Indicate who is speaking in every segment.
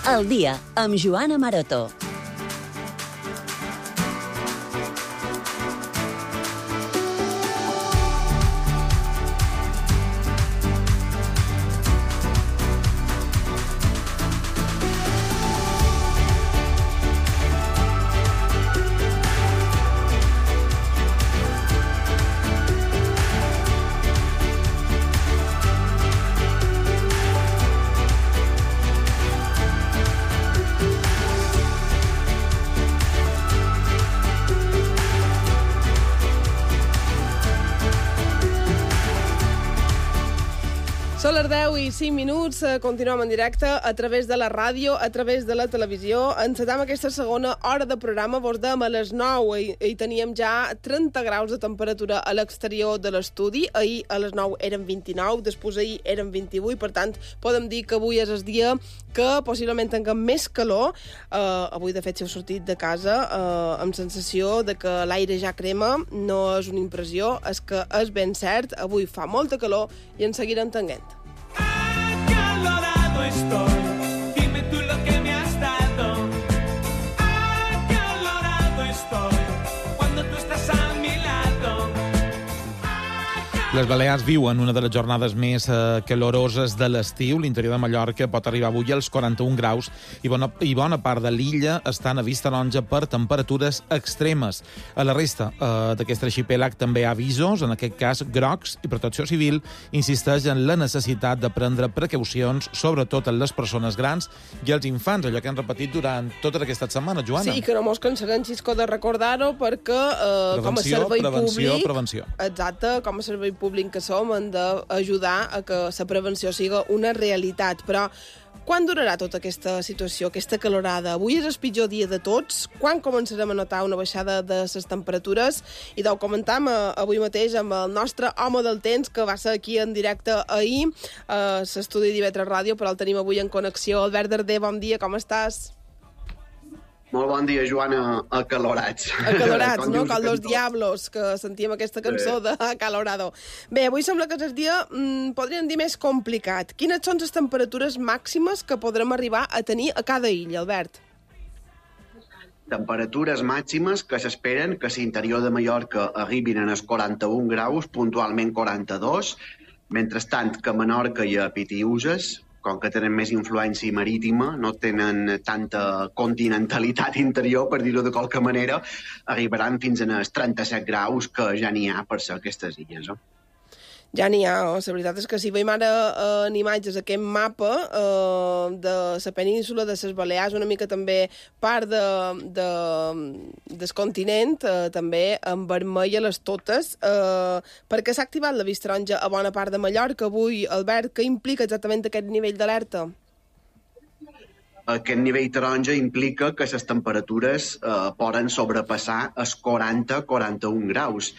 Speaker 1: Al dia, amb Joana Maroto.
Speaker 2: Són les 10 i 5 minuts, continuem en directe a través de la ràdio, a través de la televisió. Encetam aquesta segona hora de programa, vos dèiem a les 9 i teníem ja 30 graus de temperatura a l'exterior de l'estudi. Ahir a les 9 eren 29, després ahir eren 28, per tant, podem dir que avui és el dia que possiblement tinguem més calor. Avui, de fet, si heu sortit de casa amb sensació de que l'aire ja crema, no és una impressió, és que és ben cert, avui fa molta calor i en seguirem tenint.
Speaker 3: Acalorado estoy, dime tú lo que me has dado. Acalorado estoy, cuando tú estás a mi lado.
Speaker 4: Les Balears viuen una de les jornades més caloroses de l'estiu. L'interior de Mallorca pot arribar avui als 41 graus i bona part de l'illa estan a vista taronja per temperatures extremes. A la resta d'aquest arxipèlag també hi ha avisos, en aquest cas grocs, i Protecció Civil insisteix en la necessitat de prendre precaucions, sobretot en les persones grans i els infants, allò que han repetit durant tota aquesta setmana, Joana.
Speaker 2: Sí, que no mos cansarem, Xisco, de recordar-ho, perquè com a servei públic...
Speaker 4: Prevenció.
Speaker 2: Exacte, com a servei públic que som, hem d'ajudar a que la prevenció siga una realitat. Però quan durarà tota aquesta situació, aquesta calorada? Avui és el pitjor dia de tots. Quan començarem a notar una baixada de les temperatures? I ho comentam avui mateix amb el nostre home del temps, que va ser aquí en directe ahir, a l'estudi d'IV3 Ràdio, però el tenim avui en connexió. Albert Darder, bon dia, com estàs?
Speaker 5: Molt bon dia, Joana, acalorats.
Speaker 2: Acalorats, no? Com los diablos, que sentíem aquesta cançó de Acalorado. Bé, avui sembla que és el dia, podríem dir, més complicat. Quines són les temperatures màximes que podrem arribar a tenir a cada illa, Albert?
Speaker 5: Temperatures màximes que s'esperen que l'interior de Mallorca arribin als 41 graus, puntualment 42, mentrestant que a Menorca i a Pitiüses, com que tenen més influència marítima, no tenen tanta continentalitat interior, per dir-ho de qualque manera, arribaran fins als 37 graus que ja n'hi ha per ser aquestes illes.
Speaker 2: Ja n'hi ha, la veritat és que si veiem ara en imatges aquest mapa de la península de les Balears, una mica també part del continent, també en vermell a les totes, perquè s'ha activat la vista taronja a bona part de Mallorca avui. Albert, què implica exactament aquest nivell d'alerta?
Speaker 5: Aquest nivell taronja implica que les temperatures poden sobrepassar els 40-41 graus.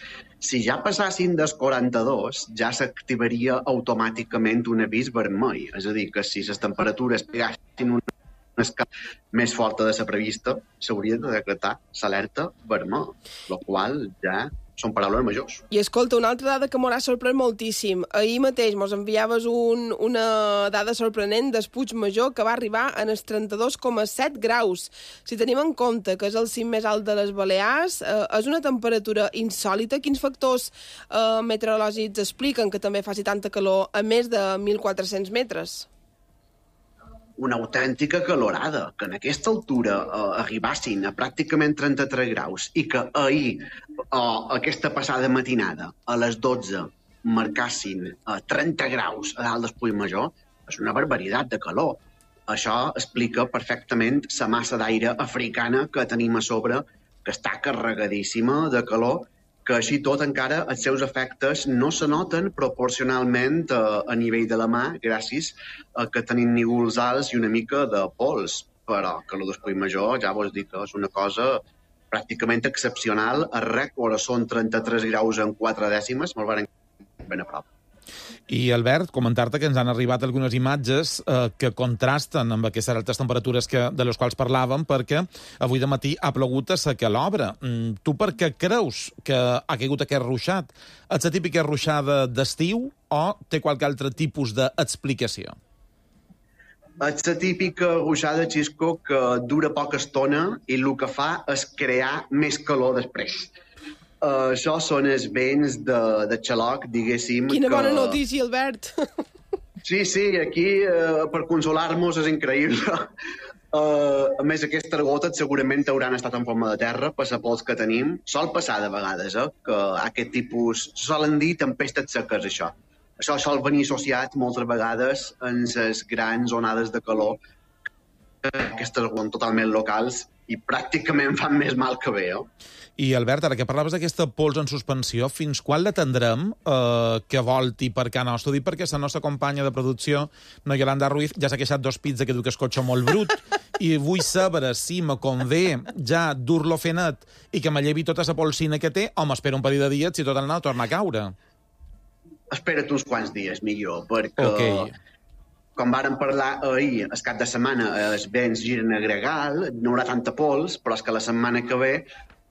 Speaker 5: Si ja passassin dels 42, ja s'activaria automàticament un avís vermell. És a dir, que si les temperatures pegassin una escala més forta de la prevista, s'hauria de decretar l'alerta vermell, el qual ja són paraules majors.
Speaker 2: I escolta, una altra dada que m'haurà sorprès moltíssim. Ahir mateix mos enviaves una dada sorprenent del Puigmajor, que va arribar en els 32,7 graus. Si tenim en compte que és el cim més alt de les Balears, és una temperatura insòlita. Quins factors meteorològics expliquen que també faci tanta calor a més de 1.400 metres?
Speaker 5: Una autèntica calorada, que en aquesta altura arribassin a pràcticament 33 graus i que ahir, aquesta passada matinada, a les 12, marcassin 30 graus a dalt del Puigmajor, és una barbaritat de calor. Això explica perfectament la massa d'aire africana que tenim a sobre, que està carregadíssima de calor, que així tot encara els seus efectes no se noten proporcionalment a nivell de la mà, gràcies a que tenim nívols alts i una mica de pols. Però que el del Puigmajor ja vos dic que és una cosa pràcticament excepcional. El rècord són 33 graus en 4 dècimes, molt ben a prop.
Speaker 4: I, Albert, comentar-te que ens han arribat algunes imatges que contrasten amb aquestes altes temperatures de les quals parlàvem, perquè avui de matí ha plogut a secar l'obra. Tu per què creus que ha caigut aquest ruixat? És la típica ruixada d'estiu o té qualque altre tipus d'explicació?
Speaker 5: És la típica ruixada, Xisco, que dura poca estona i el que fa és crear més calor després. Això són els vents de xaloc, diguéssim.
Speaker 2: Quina bona notícia, Albert!
Speaker 5: Sí, aquí per consolar-nos és increïble. A més, aquestes gotes segurament hauran estat en forma de terra per la pols que tenim. Sol passar de vegades, que aquest tipus... Solen dir tempestes seques, això. Això sol venir associat moltes vegades en les grans onades de calor. Aquestes són totalment locals i pràcticament fan més mal que bé,
Speaker 4: I, Albert, ara que parlaves d'aquesta pols en suspensió, fins quan la tindrem que volti per cá nostre? Dic perquè la nostra companya de producció, no Yolanda Ruiz, ja s'ha queixat dos pits que diu que és cotxe molt brut i vull saber si me convé ja dur-lo fer net i que me llevi tota la polsina que té o m'espera un parell de dies si tot el nou torna a caure.
Speaker 5: Espera't uns quants dies, millor, perquè... Com vàrem parlar ahir, el cap de setmana, els vents giren a gregal, no hi haurà tanta pols, però és que la setmana que ve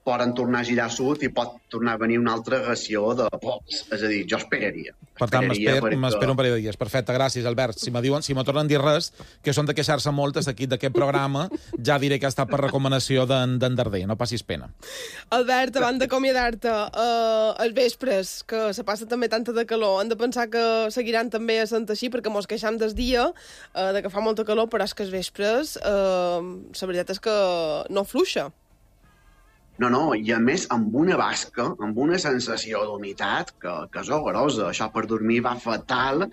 Speaker 5: poden tornar a girar a sud i pot tornar a venir una altra ració de pols. És a dir, jo esperaria.
Speaker 4: Per tant, m'espero un parell de dies. Perfecte, gràcies, Albert. Si me tornen a dir res, que són de queixar-se molt d'aquest programa, ja diré que ha estat per recomanació d'en Darder. No passis pena.
Speaker 2: Albert, abans d'acomiadar-te, els vespres, que se passa també tanta de calor, hem de pensar que seguiran també a Sant Així, perquè mos queixam des dia de que fa molta calor, però és que els vespres, la veritat és que no fluixa.
Speaker 5: No, i a més amb una basca, amb una sensació d'humitat que és horrorosa. Això per dormir va fatal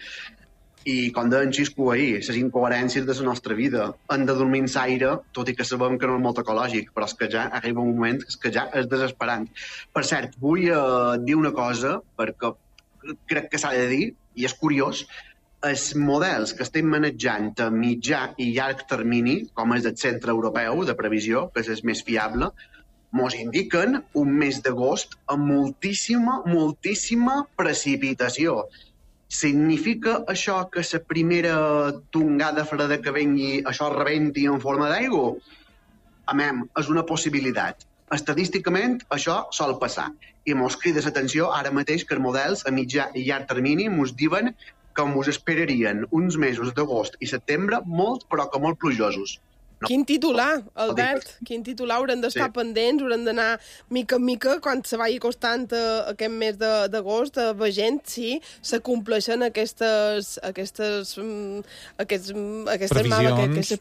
Speaker 5: i, com deia en Xisco ahir, les incoherències de la nostra vida. Hem de dormir en l'aire, tot i que sabem que no és molt ecològic, però és que ja arriba un moment que ja és desesperant. Per cert, vull dir una cosa, perquè crec que s'ha de dir, i és curiós, els models que estem manejant a mitjà i llarg termini, com és el Centre Europeu de Previsió, que és el més fiable, mos indiquen un mes d'agost amb moltíssima precipitació. Significa això que la primera tongada freda que vengui, això rebenti en forma d'aigua? És una possibilitat. Estadísticament, això sol passar. I mos crida l'atenció ara mateix que els models a mitjà i llarg termini mos diuen que mos esperarien uns mesos d'agost i setembre molt, però que molt plujosos.
Speaker 2: Quin titular, Albert, quin titular. Haurem d'estar pendents, haurem d'anar mica en mica, quan se vagi costant aquest mes d'agost, veient si s'acompleixen aquestes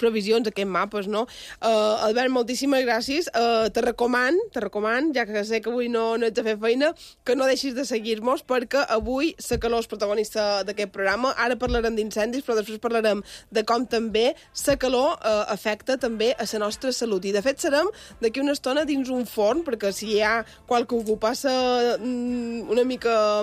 Speaker 2: previsions, aquests mapes, no? Albert, moltíssimes gràcies. Te recoman, ja que sé que avui no ets a fer feina, que no deixis de seguir-nos, perquè avui la calor és protagonista d'aquest programa. Ara parlarem d'incendis, però després parlarem de com també la calor afecta també a la nostra salut. I, de fet, serem d'aquí una estona dins un forn, perquè si hi ha qualcú que ho passa una mica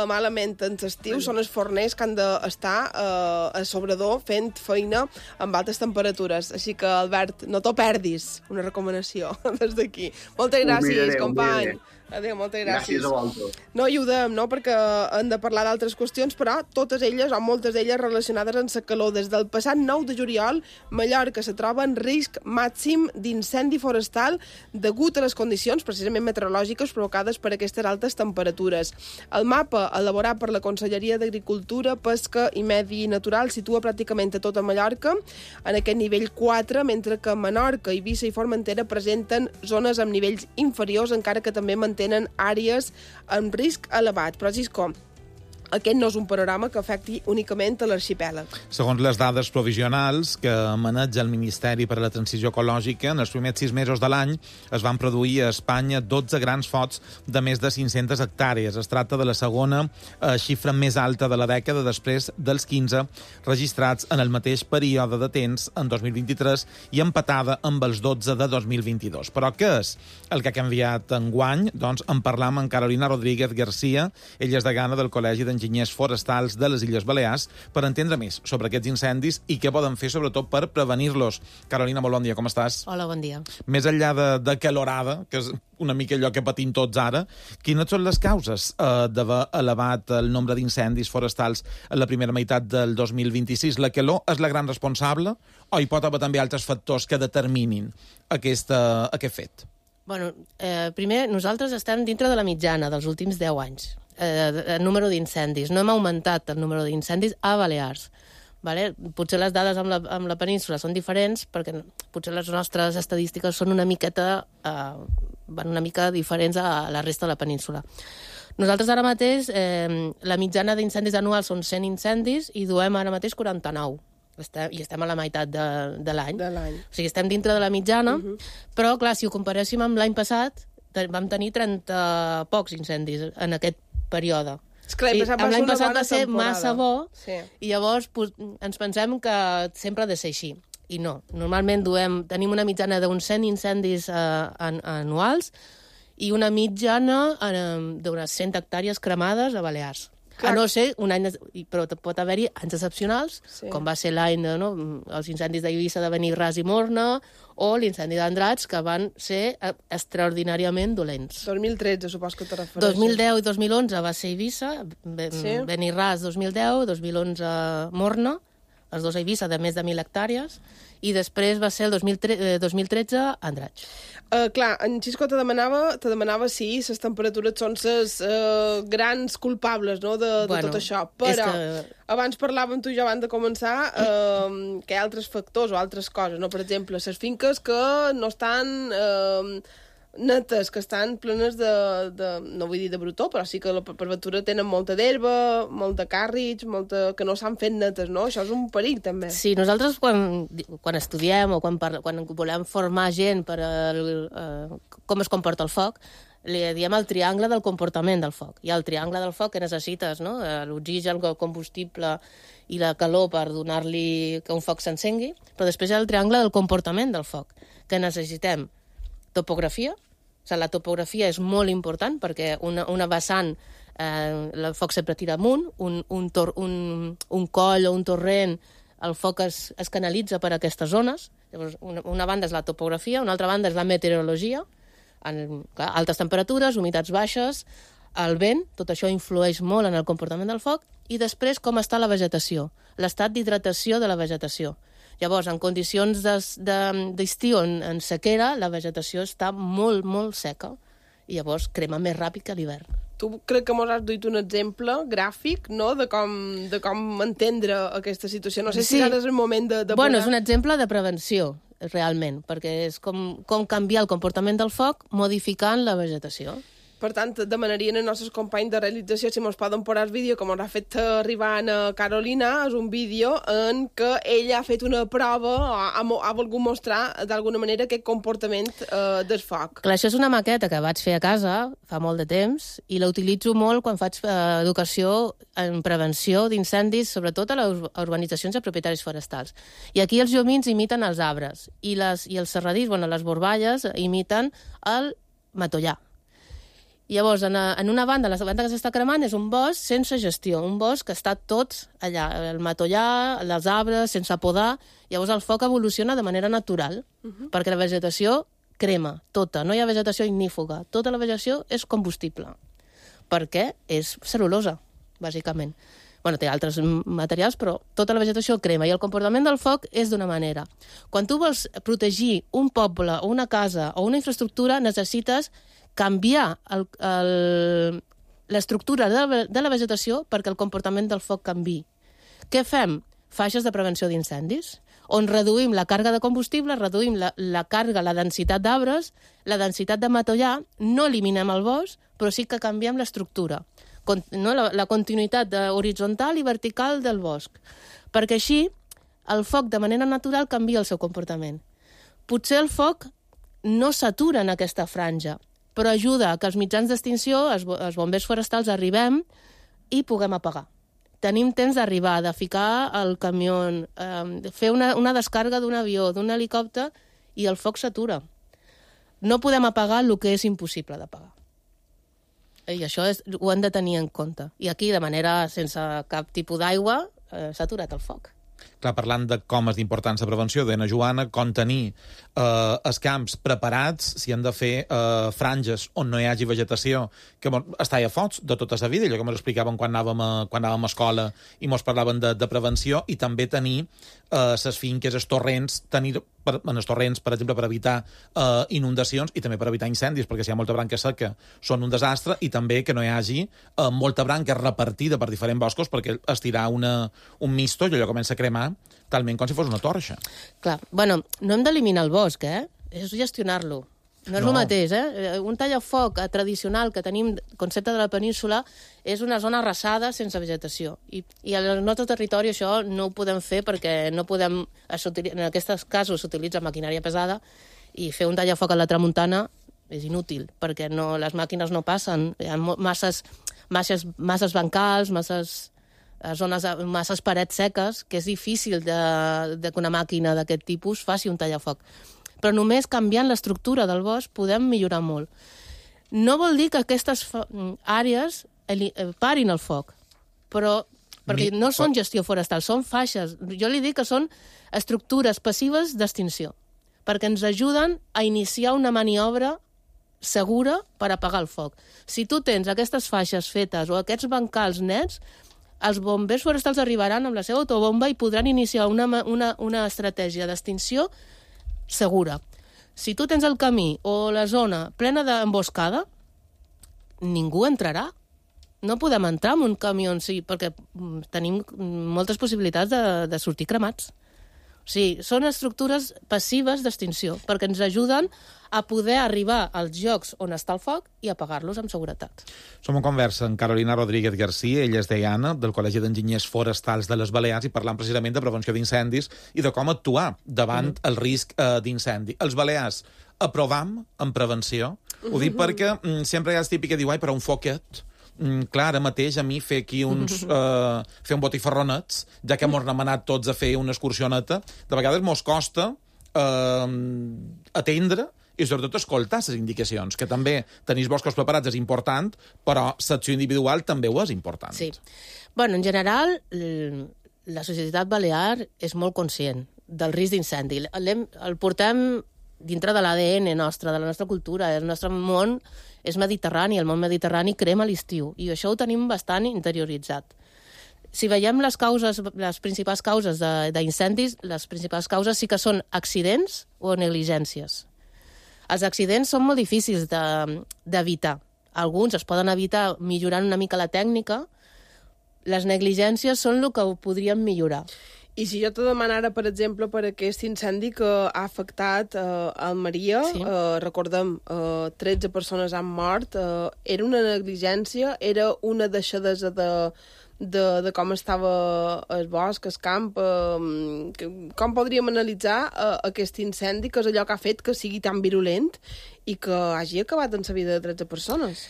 Speaker 2: malament en l'estiu, són els forners que han d'estar a sobredor fent feina amb altes temperatures. Així que, Albert, no t'ho perdis, una recomanació des d'aquí. Moltes gràcies, company. Adéu, moltes gràcies.
Speaker 5: Gràcies a vosaltres.
Speaker 2: No ajudem, no?, perquè hem de parlar d'altres qüestions, però totes elles, o moltes d'elles, relacionades amb la calor. Des del passat 9 de juliol, Mallorca se troba en risc màxim d'incendi forestal degut a les condicions, precisament meteorològiques, provocades per aquestes altes temperatures. El mapa, elaborat per la Conselleria d'Agricultura, Pesca i Medi Natural, situa pràcticament a tota Mallorca en aquest nivell 4, mentre que Menorca, Eivissa i Formentera presenten zones amb nivells inferiors, encara que també mantenen àrees amb risc elevat. Però, Xisco, aquest no és un panorama que afecti únicament a l'arxipèlag.
Speaker 4: Segons les dades provisionals que maneja el Ministeri per a la Transició Ecològica, en els primers 6 mesos de l'any es van produir a Espanya 12 grans focs de més de 500 hectàrees. Es tracta de la segona xifra més alta de la dècada, després dels 15 registrats en el mateix període de temps en 2023 i empatada amb els 12 de 2022. Però què és el que ha canviat enguany? Doncs en parlam amb Carolina Rodríguez García, ella és degana del Col·legi d'Enginyers Forestals de les Illes Balears, per entendre més sobre aquests incendis i què poden fer, sobretot, per prevenir-los. Carolina, molt bon dia, com estàs?
Speaker 6: Hola, bon dia.
Speaker 4: Més enllà de calorada, que és una mica allò que patim tots ara, quines són les causes d'haver elevat el nombre d'incendis forestals en la primera meitat del 2026? La calor és la gran responsable o hi pot haver també altres factors que determinin aquest fet?
Speaker 6: Bueno, primer, nosaltres estem dintre de la mitjana dels últims 10 anys. El número d'incendis. No hem augmentat el número d'incendis a Balears. Vale? Potser les dades amb la península són diferents, perquè potser les nostres estadístiques són una miqueta, van una mica diferents a la resta de la península. Nosaltres ara mateix, la mitjana d'incendis anuals són 100 incendis i duem ara mateix 49. I estem a la meitat de l'any. O sigui, estem dintre de la mitjana, però, clar, si ho comparéssim amb l'any passat, vam tenir 30 pocs incendis en aquest període. L'any passat va ser massa bo, i llavors ens pensem que sempre ha de ser així. I no. Normalment tenim una mitjana d'uns 100 incendis anuals i una mitjana d'unes 100 hectàrees cremades a Balears. A no ser un any... Però pot haver-hi anys excepcionals, com va ser l'any els incendis d'Eivissa de Benirras i Morna, o l'incendi d'Andratx, que van ser extraordinàriament dolents.
Speaker 2: 2013, supos que te refereixes.
Speaker 6: 2010 i 2011 va ser Eivissa, Benirras 2010, 2011 Morna, els dos a Eivissa de més de 1.000 hectàrees, i després va ser el 2013 Andratx.
Speaker 2: Clar, en Xisco te demanava si les temperatures són les grans culpables de tot això, però abans parlàvem tu i jo abans de començar que hi ha altres factors o altres coses, per exemple, les finques que no estan netes, que estan plenes no vull dir de brutó, però sí que per ventura tenen molta d'herba, molta càrrecs, que no s'han fet netes, no? Això és un perill, també.
Speaker 6: Sí, nosaltres quan estudiem o quan volem formar gent per com es comporta el foc, li diem el triangle del comportament del foc. Hi ha el triangle del foc que necessites, l'oxigen, el combustible i la calor per donar-li que un foc s'encengui, però després hi ha el triangle del comportament del foc, que necessitem topografia. La topografia és molt important perquè una vessant, el foc sempre tira amunt, un coll o un torrent, el foc es canalitza per aquestes zones. Llavors, una banda és la topografia, una altra banda és la meteorologia, altes temperatures, humitats baixes, el vent, tot això influeix molt en el comportament del foc, i després com està la vegetació, l'estat d'hidratació de la vegetació. Llavors, en condicions d'estiu, en sequera, la vegetació està molt, molt seca i llavors crema més ràpid que a l'hivern.
Speaker 2: Tu crec que mos has duit un exemple gràfic, de com entendre aquesta situació. No sé si ara és el moment de...
Speaker 6: Bueno, és un exemple de prevenció, realment, perquè és com canviar el comportament del foc modificant la vegetació.
Speaker 2: Per tant, demanarien als nostres companys de realització si ens poden posar el vídeo que ens ha fet arribar a Carolina. És un vídeo en què ella ha fet una prova o ha volgut mostrar d'alguna manera aquest comportament del foc.
Speaker 6: Clar, això és una maqueta que vaig fer a casa fa molt de temps i la utilitzo molt quan faig educació en prevenció d'incendis, sobretot a les urbanitzacions de propietaris forestals. I aquí els llumins imiten els arbres i els serradís, les borballes, imiten el matollar. Llavors, en una banda, la banda que s'està cremant és un bosc sense gestió, un bosc que està tot allà, el matollar, els arbres, sense podar. Llavors el foc evoluciona de manera natural, perquè la vegetació crema, tota. No hi ha vegetació ignífuga. Tota la vegetació és combustible, perquè és cel·lulosa, bàsicament. Té altres materials, però tota la vegetació crema, i el comportament del foc és d'una manera. Quan tu vols protegir un poble, o una casa, o una infraestructura, necessites canviar l'estructura de la vegetació perquè el comportament del foc canviï. Què fem? Faixes de prevenció d'incendis, on reduïm la càrrega de combustible, reduïm la càrrega, la densitat d'arbres, la densitat de matollar, no eliminem el bosc, però sí que canviem l'estructura, la continuïtat horitzontal i vertical del bosc, perquè així el foc de manera natural canvia el seu comportament. Potser el foc no s'atura en aquesta franja, però ajuda que els mitjans d'extinció, els bombers forestals, arribem i puguem apagar. Tenim temps d'arribar, de ficar el camió, fer una descàrrega d'un avió, d'un helicòpter, i el foc s'atura. No podem apagar el que és impossible d'apagar. I això ho hem de tenir en compte. I aquí, de manera sense cap tipus d'aigua, s'ha aturat el foc.
Speaker 4: Clar, parlant de com és d'important la prevenció, deia Joana, com tenir els camps preparats, si han de fer franges on no hi hagi vegetació, que està a fots de tota la vida, allò que ens explicaven quan anàvem a escola i ens parlaven de prevenció, i també tenir les finques, els torrents, tenir en els torrents, per exemple, per evitar inundacions i també per evitar incendis, perquè si hi ha molta branca seca són un desastre, i també que no hi hagi molta branca repartida per diferents boscos, perquè estirar un misto i allò comença a cremar talment com si fos una torxa.
Speaker 6: Clar, bueno, no hem d'eliminar el bosc, és gestionar-lo. No és el mateix, Un tallafoc tradicional que tenim, concepte de la península, és una zona arrasada sense vegetació. I al nostre territori això no ho podem fer perquè no podem... En aquests casos s'utilitza maquinària pesada i fer un tallafoc a la tramuntana és inútil, perquè les màquines no passen. Hi ha masses bancals, masses parets seques, que és difícil que una màquina d'aquest tipus faci un tallafoc. Però només canviant l'estructura del bosc podem millorar molt. No vol dir que aquestes àrees parin el foc, perquè no són gestió forestal, són faixes. Jo li dic que són estructures passives d'extinció, perquè ens ajuden a iniciar una maniobra segura per apagar el foc. Si tu tens aquestes faixes fetes o aquests bancals nets, els bombers forestals arribaran amb la seva autobomba i podran iniciar una estratègia d'extinció segura. Si tu tens el camí o la zona plena d'emboscada, ningú entrarà. No podem entrar en un camió en si, perquè tenim moltes possibilitats de sortir cremats. O sigui, són estructures passives d'extinció, perquè ens ajuden a poder arribar als llocs on està el foc i apagar-los amb seguretat.
Speaker 4: Som en conversa amb Carolina Rodríguez García, ella és deiana del Col·legi d'Enginyers Forestals de les Balears, i parlant precisament de prevenció d'incendis i de com actuar davant el risc d'incendi. Els balears aprovam en prevenció. Ho dic perquè sempre hi ha el típic que diu, però un foquet... Clar, ara mateix a mi fer aquí fer un botifarronets, ja que m'ho hem anat tots a fer una excursioneta, de vegades mos costa atendre i sobretot escoltar les indicacions, que també tenir boscos preparats és important, però l'acció individual també ho és important.
Speaker 6: Sí. Bueno, en general, la societat balear és molt conscient del risc d'incendi. El portem dintre de l'ADN nostre, de la nostra cultura. El nostre món és mediterrani, el món mediterrani crema a l'estiu, i això ho tenim bastant interioritzat. Si veiem les principals causes d'incendis, les principals causes sí que són accidents o negligències. Els accidents són molt difícils d'evitar. Alguns es poden evitar millorant una mica la tècnica. Les negligències són el que ho podríem millorar.
Speaker 2: I si jo te demanara, per exemple, per aquest incendi que ha afectat Almeria, sí. Recordem, 13 persones han mort, era una negligència, era una deixadesa de com estava el bosc, el camp, com podríem analitzar aquest incendi, que és allò que ha fet que sigui tan virulent i que hagi acabat en la vida de 13 persones?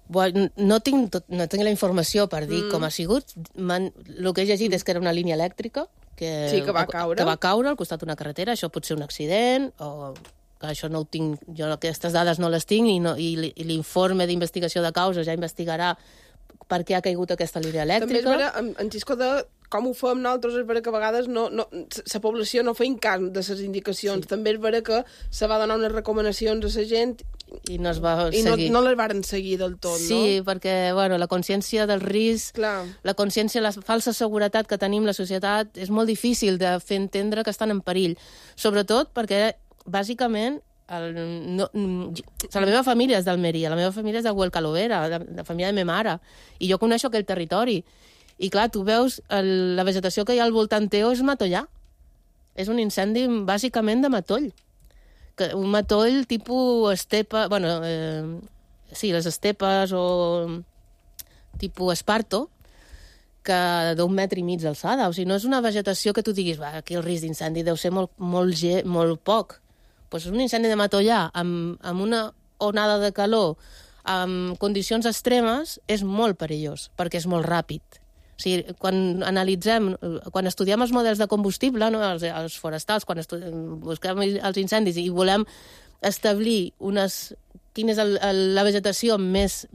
Speaker 6: Bueno, no tinc la informació per dir com ha sigut. El que he llegit és que era una línia elèctrica que
Speaker 2: va caure
Speaker 6: al costat d'una carretera. Això pot ser un accident, o que això no ho tinc, jo aquestes dades no les tinc, i l'informe d'investigació de causes ja investigarà per què ha caigut aquesta línia elèctrica.
Speaker 2: També és vera, en Xisco, de com ho fem nosaltres, és vera que a vegades la població no feim cas de les indicacions. Sí. També és vera que se va donar unes recomanacions a la gent
Speaker 6: i no es va seguir.
Speaker 2: No les varen seguir del tot, no?
Speaker 6: Sí, perquè la consciència del risc, la consciència, la falsa seguretat que tenim la societat, és molt difícil de fer entendre que estan en perill. Sobretot perquè, bàsicament, la meva família és d'Almeria, la meva família és de Huelcalovera, la família de ma mare, i jo coneixo aquell territori. I clar, tu veus la vegetació que hi ha al voltant teu és matollà. És un incendi bàsicament de matoll. Un matoll tipus estepa... sí, les estepes o tipus esparto, que d'1,5 metres d'alçada. O sigui, no és una vegetació que tu diguis, aquí el risc d'incendi deu ser molt poc. Pues un incendi de matollà amb una onada de calor, amb condicions extremes, és molt perillós, perquè és molt ràpid. O sigui, quan estudiem els models de combustible, no, els forestals, quan busquem els incendis i volem establir quina és la vegetació més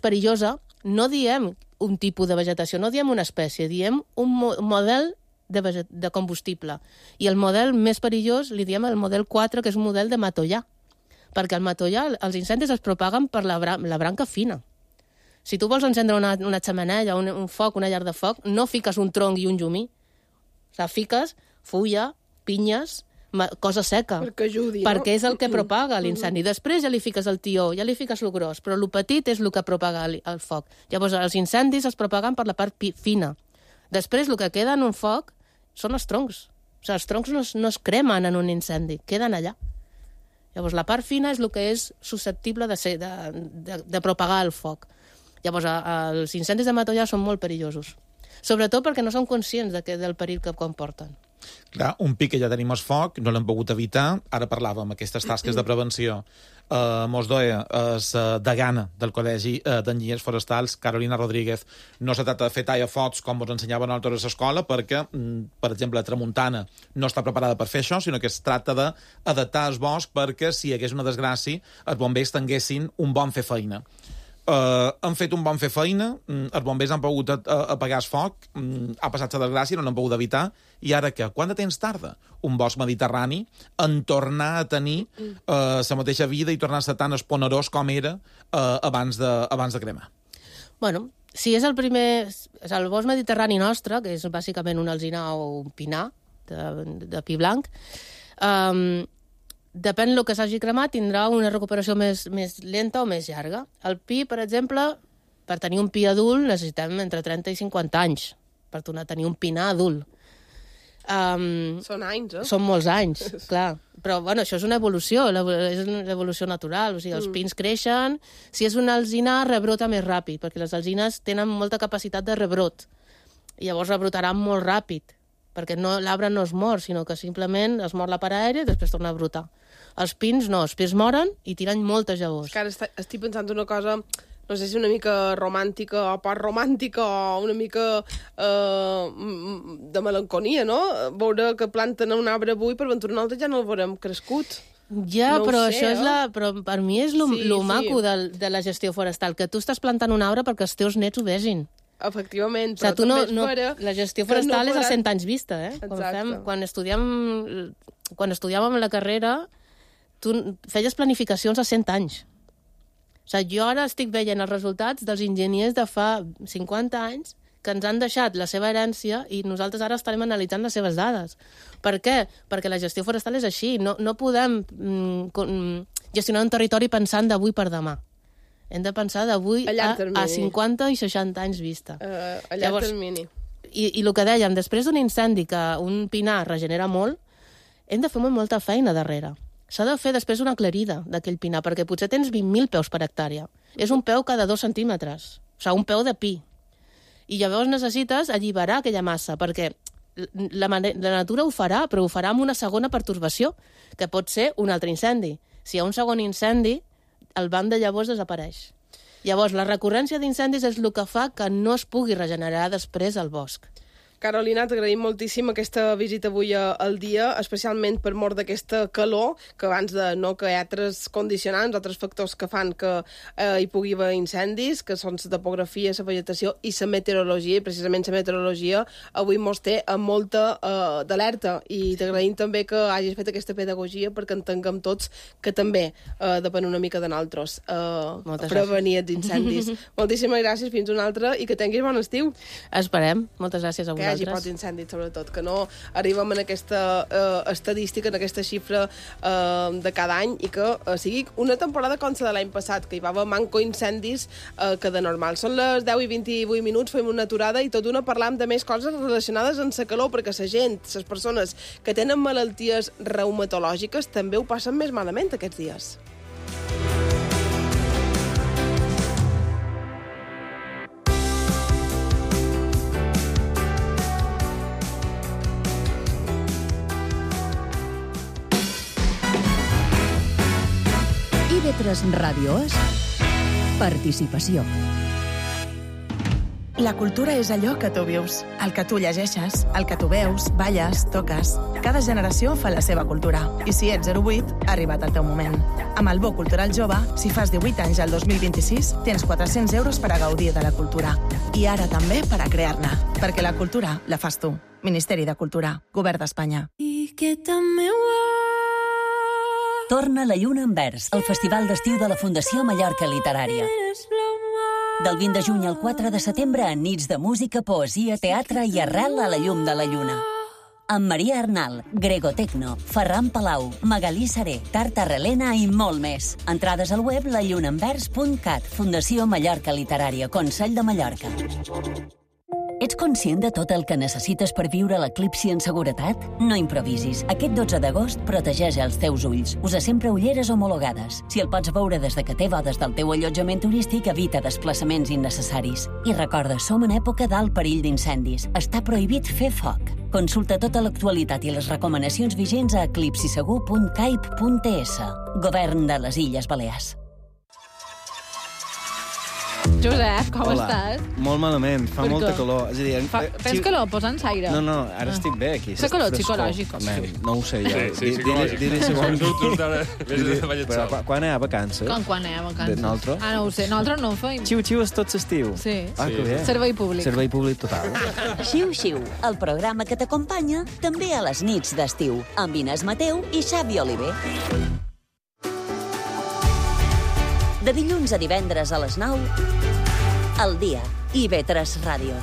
Speaker 6: perillosa, no diem un tipus de vegetació, no diem una espècie, diem un model de combustible. I el model més perillós li diem el model 4, que és un model de matollà, perquè al matollà els incendis es propaguen per la branca fina. Si tu vols encendre una xemeneia, un foc, una llar de foc, no fiques un tronc i un llumí. O sigui, fiques fulla, pinyes, cosa seca.
Speaker 2: Perquè ajudi, no?
Speaker 6: Perquè és el que propaga l'incendi. Després ja li fiques el tió, ja li fiques el gros, però el petit és el que propaga el foc. Llavors, els incendis es propaguen per la part fina. Després, el que queda en un foc són els troncs. O sigui, els troncs no es cremen en un incendi, queden allà. Llavors, la part fina és el que és susceptible de propagar el foc. Llavors, els incendis de matollar són molt perillosos. Sobretot perquè no són conscients del perill que comporten.
Speaker 4: Clar, un pic que ja tenim el foc, no l'hem pogut evitar. Ara parlàvem aquestes tasques de prevenció. Mos doia és degana del Col·legi d'Enginyers Forestals, Carolina Rodríguez. No se tracta de fer tallafocs com ens ensenyaven a nosaltres a l'escola, perquè, per exemple, la tramuntana no està preparada per fer això, sinó que es tracta d'adaptar el bosc perquè, si hi hagués una desgràcia, els bombers tinguessin un bon fer feina. Han fet un bon fer feina, els bombers han pogut apagar el foc, ha passat la desgràcia, no l'han pogut evitar, i ara què? Quant de temps tarda un bosc mediterrani en tornar a tenir la mateixa vida i tornar a ser tan esponerós com era abans de cremar?
Speaker 6: Bueno, si és el primer... És el bosc mediterrani nostre, que és bàsicament un alzinar o un pinar de pi blanc, depèn del que s'hagi cremat, tindrà una recuperació més lenta o més llarga. El pi, per exemple, per tenir un pi adult necessitem entre 30 i 50 anys per tornar a tenir un pinar adult.
Speaker 2: Són anys, eh?
Speaker 6: Són molts anys, clar. Però, bueno, això és una evolució, és una evolució natural. O sigui, els pins creixen. Si és un alzinar, rebrota més ràpid, perquè les alzines tenen molta capacitat de rebrot. I llavors rebrotaran molt ràpid, perquè l'arbre no es mor, sinó que simplement es mor la part aèria i després torna a brotar. Els pins no, els pins moren i tiren moltes llavors.
Speaker 2: És que ara estic pensant una cosa, no sé si una mica romàntica o post-romàntica o una mica de melanconia, no? Veure que planten un arbre avui, per ventura un altre ja no el veurem crescut.
Speaker 6: Ja,
Speaker 2: no
Speaker 6: però
Speaker 2: sé,
Speaker 6: això és però per mi és lo maco de la gestió forestal, que tu estàs plantant un arbre perquè els teus nets ho vegin.
Speaker 2: Efectivament,
Speaker 6: però la gestió forestal és a 100 anys vista, eh? Quan estudiàvem la carrera, tu feies planificacions a 100 anys. O sigui, jo ara estic veient els resultats dels enginyers de fa 50 anys que ens han deixat la seva herència i nosaltres ara estarem analitzant les seves dades. Per què? Perquè la gestió forestal és així. No podem gestionar un territori pensant d'avui per demà. Hem de pensar d'avui a 50 i 60 anys vista.
Speaker 2: A llarg termini.
Speaker 6: I el que dèiem, després d'un incendi que un pinar regenera molt, hem de fer molta feina darrere. S'ha de fer després una aclarida d'aquell pinar, perquè potser tens 20.000 peus per hectàrea. És un peu cada 2 centímetres. O sigui, un peu de pi. I llavors necessites alliberar aquella massa, perquè la natura ho farà, però ho farà amb una segona pertorbació, que pot ser un altre incendi. Si hi ha un segon incendi, el banc de llavors desapareix. Llavors, la recurrència d'incendis és el que fa que no es pugui regenerar després el bosc.
Speaker 2: Carolina, t'agraïm moltíssim aquesta visita avui al dia, especialment per mort d'aquesta calor, que abans que hi ha altres condicionants, altres factors que fan que hi pugui haver incendis, que són la topografia, la vegetació i la meteorologia, i precisament la meteorologia avui mos té amb molta d'alerta, i t'agraïm també que hagis fet aquesta pedagogia perquè entenguem tots que també depèn una mica de nosaltres prevenir els incendis. Moltíssimes gràcies, fins una altra, i que tinguis bon estiu.
Speaker 6: Esperem. Moltes gràcies a vosaltres.
Speaker 2: Que hi hagi pocs incendis, sobretot, que no arribem en aquesta estadística, en aquesta xifra de cada any, i que sigui una temporada com la de l'any passat, que hi va haver manco incendis que de normal. Són les 10 i 28 minuts, fem una aturada i tot una parlam de més coses relacionades amb la calor, perquè la gent, les persones que tenen malalties reumatològiques també ho passen més malament aquests dies.
Speaker 1: IB3 Ràdio és participació.
Speaker 7: La cultura és allò que tu vius, el que tu llegeixes, el que tu veus, balles, toques. Cada generació fa la seva cultura. I si ets 08, ha arribat el teu moment. Amb el Bo Cultural Jove, si fas 18 anys al 2026, tens 400 euros per a gaudir de la cultura. I ara també per a crear-ne. Perquè la cultura la fas tu. Ministeri de Cultura. Govern d'Espanya.
Speaker 8: I que també
Speaker 1: Torna la lluna en vers, el festival d'estiu de la Fundació Mallorca Literària. Del 20 de juny al 4 de setembre, en nits de música, poesia, teatre i arrel a la llum de la lluna. amb Maria Arnal, Gregotecno, Ferran Palau, Magalí Saré, Tarta Relena i molt més. Entrades al web lallunaenvers.cat, Fundació Mallorca Literària, Consell de Mallorca. Ets conscient de tot el que necessites per viure l'eclipsi en seguretat? No improvisis. Aquest 12 d'agost protegeix els teus ulls. Usa sempre ulleres homologades. Si el pots veure des de que té bodes del teu allotjament turístic, evita desplaçaments innecessaris. I recorda, som en època d'alt perill d'incendis. Està prohibit fer foc. Consulta tota l'actualitat i les recomanacions vigents a eclipsisegur.caip.es. Govern de les Illes Balears.
Speaker 8: Josep, com estàs?
Speaker 9: Molt malament, fa molta calor. És a dir,
Speaker 8: tens calor? Posa'ns aire.
Speaker 9: No, ara estic bé aquí.
Speaker 8: Fa calor psicològic.
Speaker 9: No ho sé, jo. Diré segon. Però quan hi ha vacances?
Speaker 8: Quan hi ha vacances?
Speaker 9: Nosaltres?
Speaker 8: No ho sé, nosaltres no ho feim.
Speaker 9: Xiu-xiu és tot l'estiu.
Speaker 8: Sí.
Speaker 9: Que bé.
Speaker 8: Servei públic.
Speaker 9: Servei públic total.
Speaker 1: Xiu-xiu, el programa que t'acompanya també a les nits d'estiu, amb Inés Mateu i Xavi Oliver. De dilluns a divendres a les 9, al dia, IB3 Ràdio.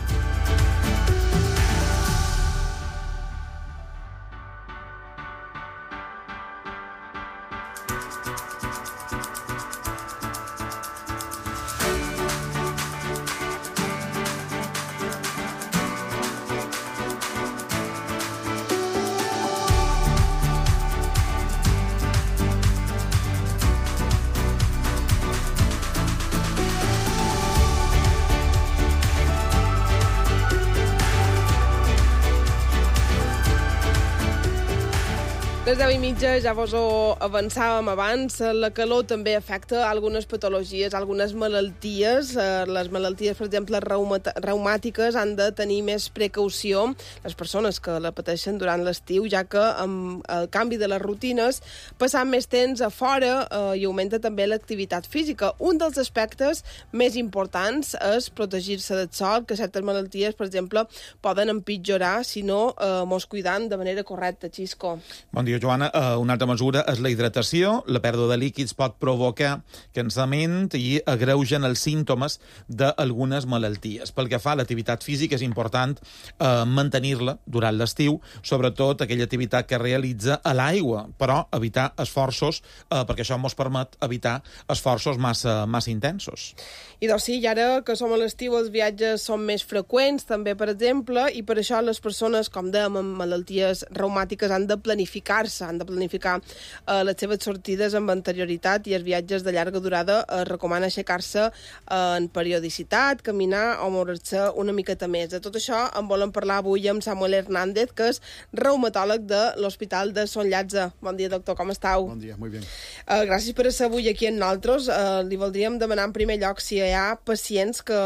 Speaker 2: Les 10:30 ja vos ho avançàvem abans. La calor també afecta algunes patologies, algunes malalties. Les malalties, per exemple, reumàtiques, han de tenir més precaució les persones que la pateixen durant l'estiu, ja que amb el canvi de les rutines passant més temps a fora i augmenta també l'activitat física. Un dels aspectes més importants és protegir-se del sol, que certes malalties, per exemple, poden empitjorar si no mos cuidam de manera correcta. Xisco.
Speaker 4: Bon dia, Joana. Una altra mesura és la hidratació. La pèrdua de líquids pot provocar cansament i agreugen els símptomes d'algunes malalties. Pel que fa a l'activitat física, és important mantenir-la durant l'estiu, sobretot aquella activitat que realitza a l'aigua, però evitar esforços, perquè això ens permet evitar esforços massa intensos.
Speaker 2: I doncs sí, i ara que som a l'estiu els viatges són més freqüents, també, per exemple, i per això les persones, com dèiem, amb malalties reumàtiques han de planificar-se, han de planificar les seves sortides amb anterioritat, i els viatges de llarga durada es recomana aixecar-se en periodicitat, caminar o moure-se una miqueta més. De tot això en volem parlar avui amb Samuel Hernández, que és reumatòleg de l'Hospital de Son Llàtzer. Bon dia, doctor, com estàu?
Speaker 10: Bon dia, molt bé.
Speaker 2: Gràcies per ser avui aquí amb nosaltres. Li voldríem demanar en primer lloc si hi ha pacients que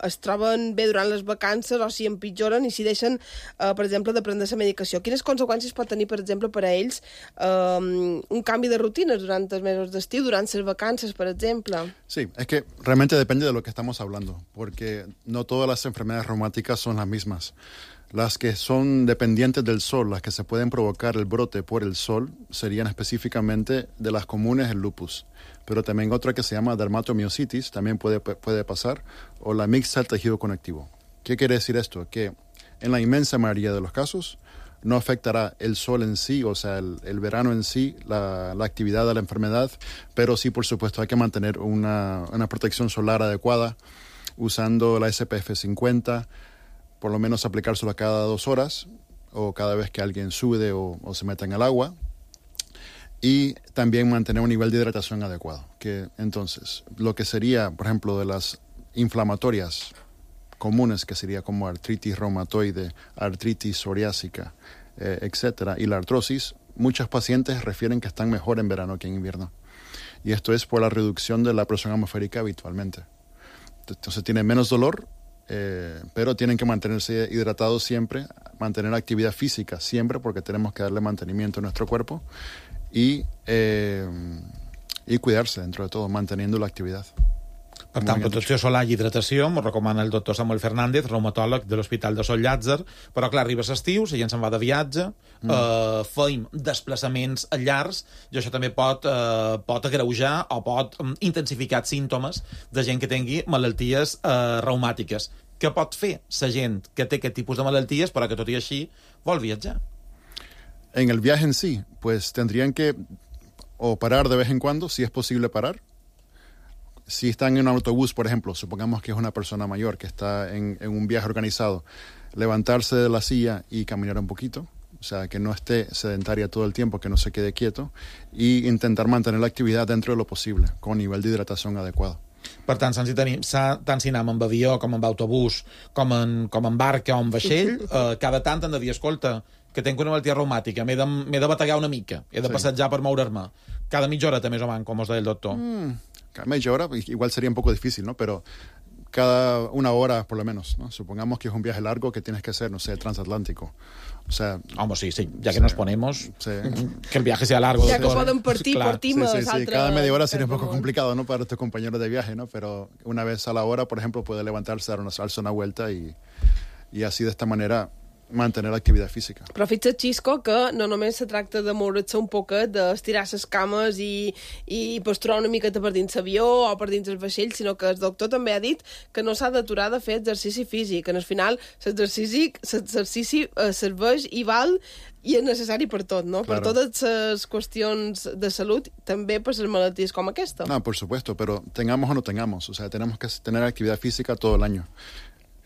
Speaker 2: es troben bé durant les vacances o si empitjoren i si deixen, per exemple, de prendre la medicació. Quines conseqüències pot tenir, per exemple, per a ells un canvi de rutines durant els mesos d'estiu, durant les vacances, por ejemplo?
Speaker 10: Sí, es que realmente depende de lo que estamos hablando, porque no todas las enfermedades reumáticas son las mismas. Las que son dependientes del sol, las que se pueden provocar el brote por el sol, serían específicamente de las comunes el lupus. Pero también otra que se llama dermatomiositis, también puede pasar, o la mixta del tejido conectivo. ¿Qué quiere decir esto? Que en la inmensa mayoría de los casos no afectará el sol en sí, o sea, el verano en sí, la actividad de la enfermedad, pero sí, por supuesto, hay que mantener una protección solar adecuada, usando la SPF 50, por lo menos aplicárselo cada 2 horas, o cada vez que alguien sude o se meta en el agua, y también mantener un nivel de hidratación adecuado. Que entonces, lo que sería, por ejemplo, de las inflamatorias comunes, que sería como artritis reumatoide, artritis psoriásica, etcétera, y la artrosis, muchos pacientes refieren que están mejor en verano que en invierno. Y esto es por la reducción de la presión atmosférica habitualmente. Entonces tienen menos dolor, pero tienen que mantenerse hidratados siempre, mantener actividad física siempre, porque tenemos que darle mantenimiento a nuestro cuerpo, y cuidarse dentro de todo, manteniendo la actividad.
Speaker 4: Per tant, protecció solar i hidratació, m'ho recomana el doctor Samuel Fernández, reumatòleg de l'Hospital de Son Llàtzer, però clar, arriba l'estiu, la gent se'n va de viatge, feim desplaçaments llargs, i això també pot agreujar o pot intensificar símptomes de gent que tingui malalties reumàtiques. què pot fer la gent que té aquest tipus de malalties però que tot i així vol viatjar?
Speaker 10: En el viaje en sí, pues tendrían que o parar de vez en cuando, si es posible parar. Si están en un autobús, por ejemplo, supongamos que es una persona mayor que está en un viaje organizado, levantarse de la silla y caminar un poquito, o sea, que no esté sedentaria todo el tiempo, que no se quede quieto, y intentar mantener la actividad dentro de lo posible, con nivel de hidratación adecuado.
Speaker 4: Per tant, tant si anem amb avió, com amb autobús, com en barca o en vaixell, cada tant hem de dir, escolta, que tenc una malaltia reumàtica, m'he de bategar una mica, he de passejar per moure'm. Cada mitja horeta, més o menys, com us deia el doctor.
Speaker 10: Cada media hora, igual sería un poco difícil, ¿no? Pero cada una hora, por lo menos, ¿no? Supongamos que es un viaje largo que tienes que hacer, no sé, transatlántico. O sea...
Speaker 4: Hombre, sí, ya que nos ponemos, que el viaje sea largo.
Speaker 2: Ya que pueden partimos.
Speaker 10: Sí. Cada media hora sería un poco complicado, ¿no? Para tus compañeros de viaje, ¿no? Pero una vez a la hora, por ejemplo, puede levantarse, darse una vuelta y así de esta manera mantenir l'activitat física.
Speaker 2: Però fixa't, Xisco, que no només se tracta de moure's un poquet, d'estirar les cames i posturar una miqueta per dins l'avió o per dins el vaixell, sinó que el doctor també ha dit que no s'ha d'aturar de fer exercici físic. En el final, l'exercici serveix i val i és necessari per tot, ¿no? Claro. Per totes les qüestions de salut, també per les malalties com aquesta.
Speaker 10: No, por supuesto, pero tengamos o no tengamos, o sea, tenemos que tener actividad física todo el año.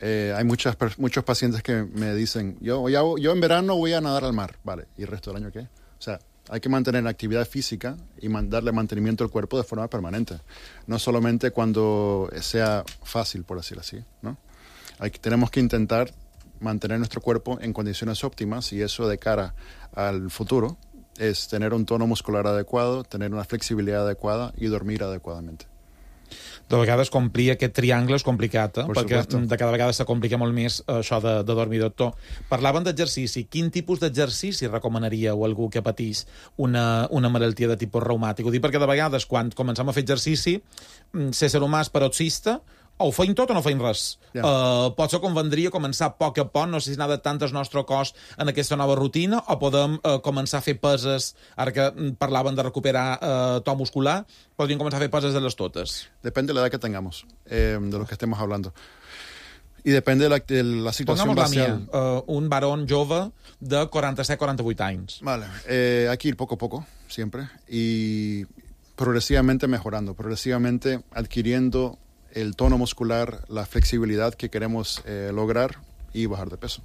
Speaker 10: Hay muchos pacientes que me dicen, yo en verano voy a nadar al mar, vale, ¿y el resto del año qué? O sea, hay que mantener actividad física y darle mantenimiento al cuerpo de forma permanente, no solamente cuando sea fácil, por decirlo así, ¿no? Tenemos que intentar mantener nuestro cuerpo en condiciones óptimas y eso de cara al futuro es tener un tono muscular adecuado, tener una flexibilidad adecuada y dormir adecuadamente.
Speaker 4: De vegades complir aquest triangle és complicat, perquè de cada vegada se complica molt més això de dormir, doctor. Parlaven d'exercici. Quin tipus d'exercici recomanaríeu a algú que patís una malaltia de tipus reumàtic? Ho dic perquè de vegades, quan comencem a fer exercici, ser humà és paroxista, o ho feim tot o no feim res. Potser convendria començar a poc a poc, no sé si anar adaptant el nostre cos en aquesta nova rutina, o podem començar a fer peses, ara que parlaven de recuperar to muscular, podríem començar a fer peses de les totes.
Speaker 10: Depende de la edad que tengamos, de lo que estemos hablando. Y depende de la situación base.
Speaker 4: Un varón jove de 47-48 anys.
Speaker 10: Vale, hay que ir poco a poco, siempre, y progresivamente mejorando, progresivamente adquiriendo el tono muscular, la flexibilidad que queremos lograr y bajar de peso.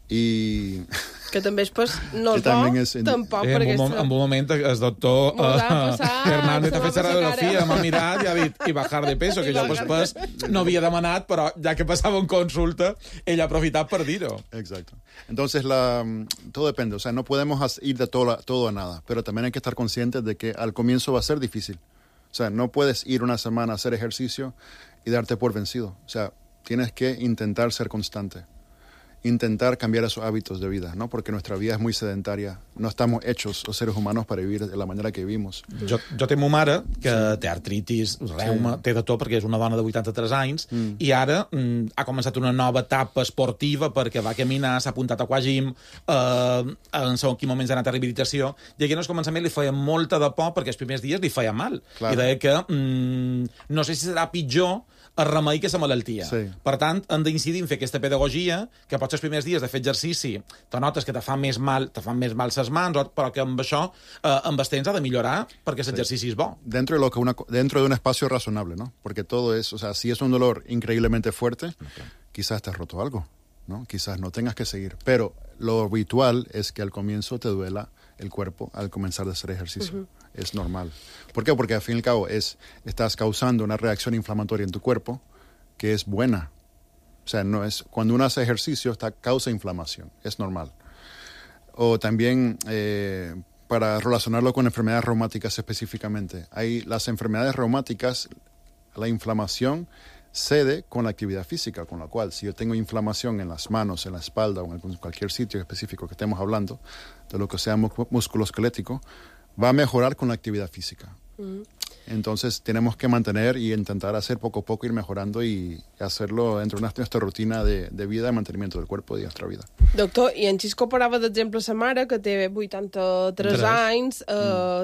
Speaker 10: I...
Speaker 2: Que també és no és bo, tampoc.
Speaker 4: En un moment el doctor Hernández ha fet radiografia, m'ha mirat i ha dit i bajar de peso, que jo després no havia demanat, però ja que passava en consulta, ell ha aprofitat per dir-ho.
Speaker 10: Exacto. Entonces, todo depende. O sea, no podemos ir de todo a nada, pero también hay que estar conscientes de que al comienzo va a ser difícil. O sea, no puedes ir una semana a hacer ejercicio y darte por vencido. O sea, tienes que intentar ser constante. Intentar cambiar esos hábitos de vida, ¿no? Porque nuestra vida es muy sedentaria. No estamos hechos, los seres humanos, para vivir de la manera que vivimos.
Speaker 4: Jo té ma mare, que té artritis, reuma, té de tot, perquè és una dona de 83 anys, i ara ha començat una nova etapa esportiva perquè va caminar, s'ha apuntat a aquagym, en quin moments ha anat a rehabilitació, i aquí en el començament li feia molta de por perquè els primers dies li feia mal. Clar. I deia que no sé si serà pitjor el remei que la malaltia. Sí. Per tant, hem d'incidir en fer aquesta pedagogia, que potser els primers dies de fer exercici te notes que te fan més mal les mans, però que amb això, amb els temps ha de millorar perquè l'exercici és bo.
Speaker 10: Dentro de un espacio razonable, ¿no? Porque todo es, o sea, si es un dolor increíblemente fuerte, quizás te has roto algo, ¿no? Quizás no tengas que seguir. Pero lo habitual es que al comienzo te duela el cuerpo al comenzar a hacer ejercicio. Es normal. ¿Por qué? Porque al fin y al cabo estás causando una reacción inflamatoria en tu cuerpo que es buena. O sea, no es, cuando uno hace ejercicio causa inflamación, es normal. O también, para relacionarlo con enfermedades reumáticas específicamente, las enfermedades reumáticas, la inflamación cede con la actividad física, con la cual si yo tengo inflamación en las manos, en la espalda o en cualquier sitio específico que estemos hablando, de lo que sea musculoesquelético, va a mejorar con la actividad física. Entonces tenemos que mantener y intentar hacer poco a poco, ir mejorando y hacerlo dentro de nuestra rutina de vida, de mantenimiento del cuerpo y de nuestra vida.
Speaker 2: Doctor, i en Xisco parlava d'exemple sa mare, que té 83 anys,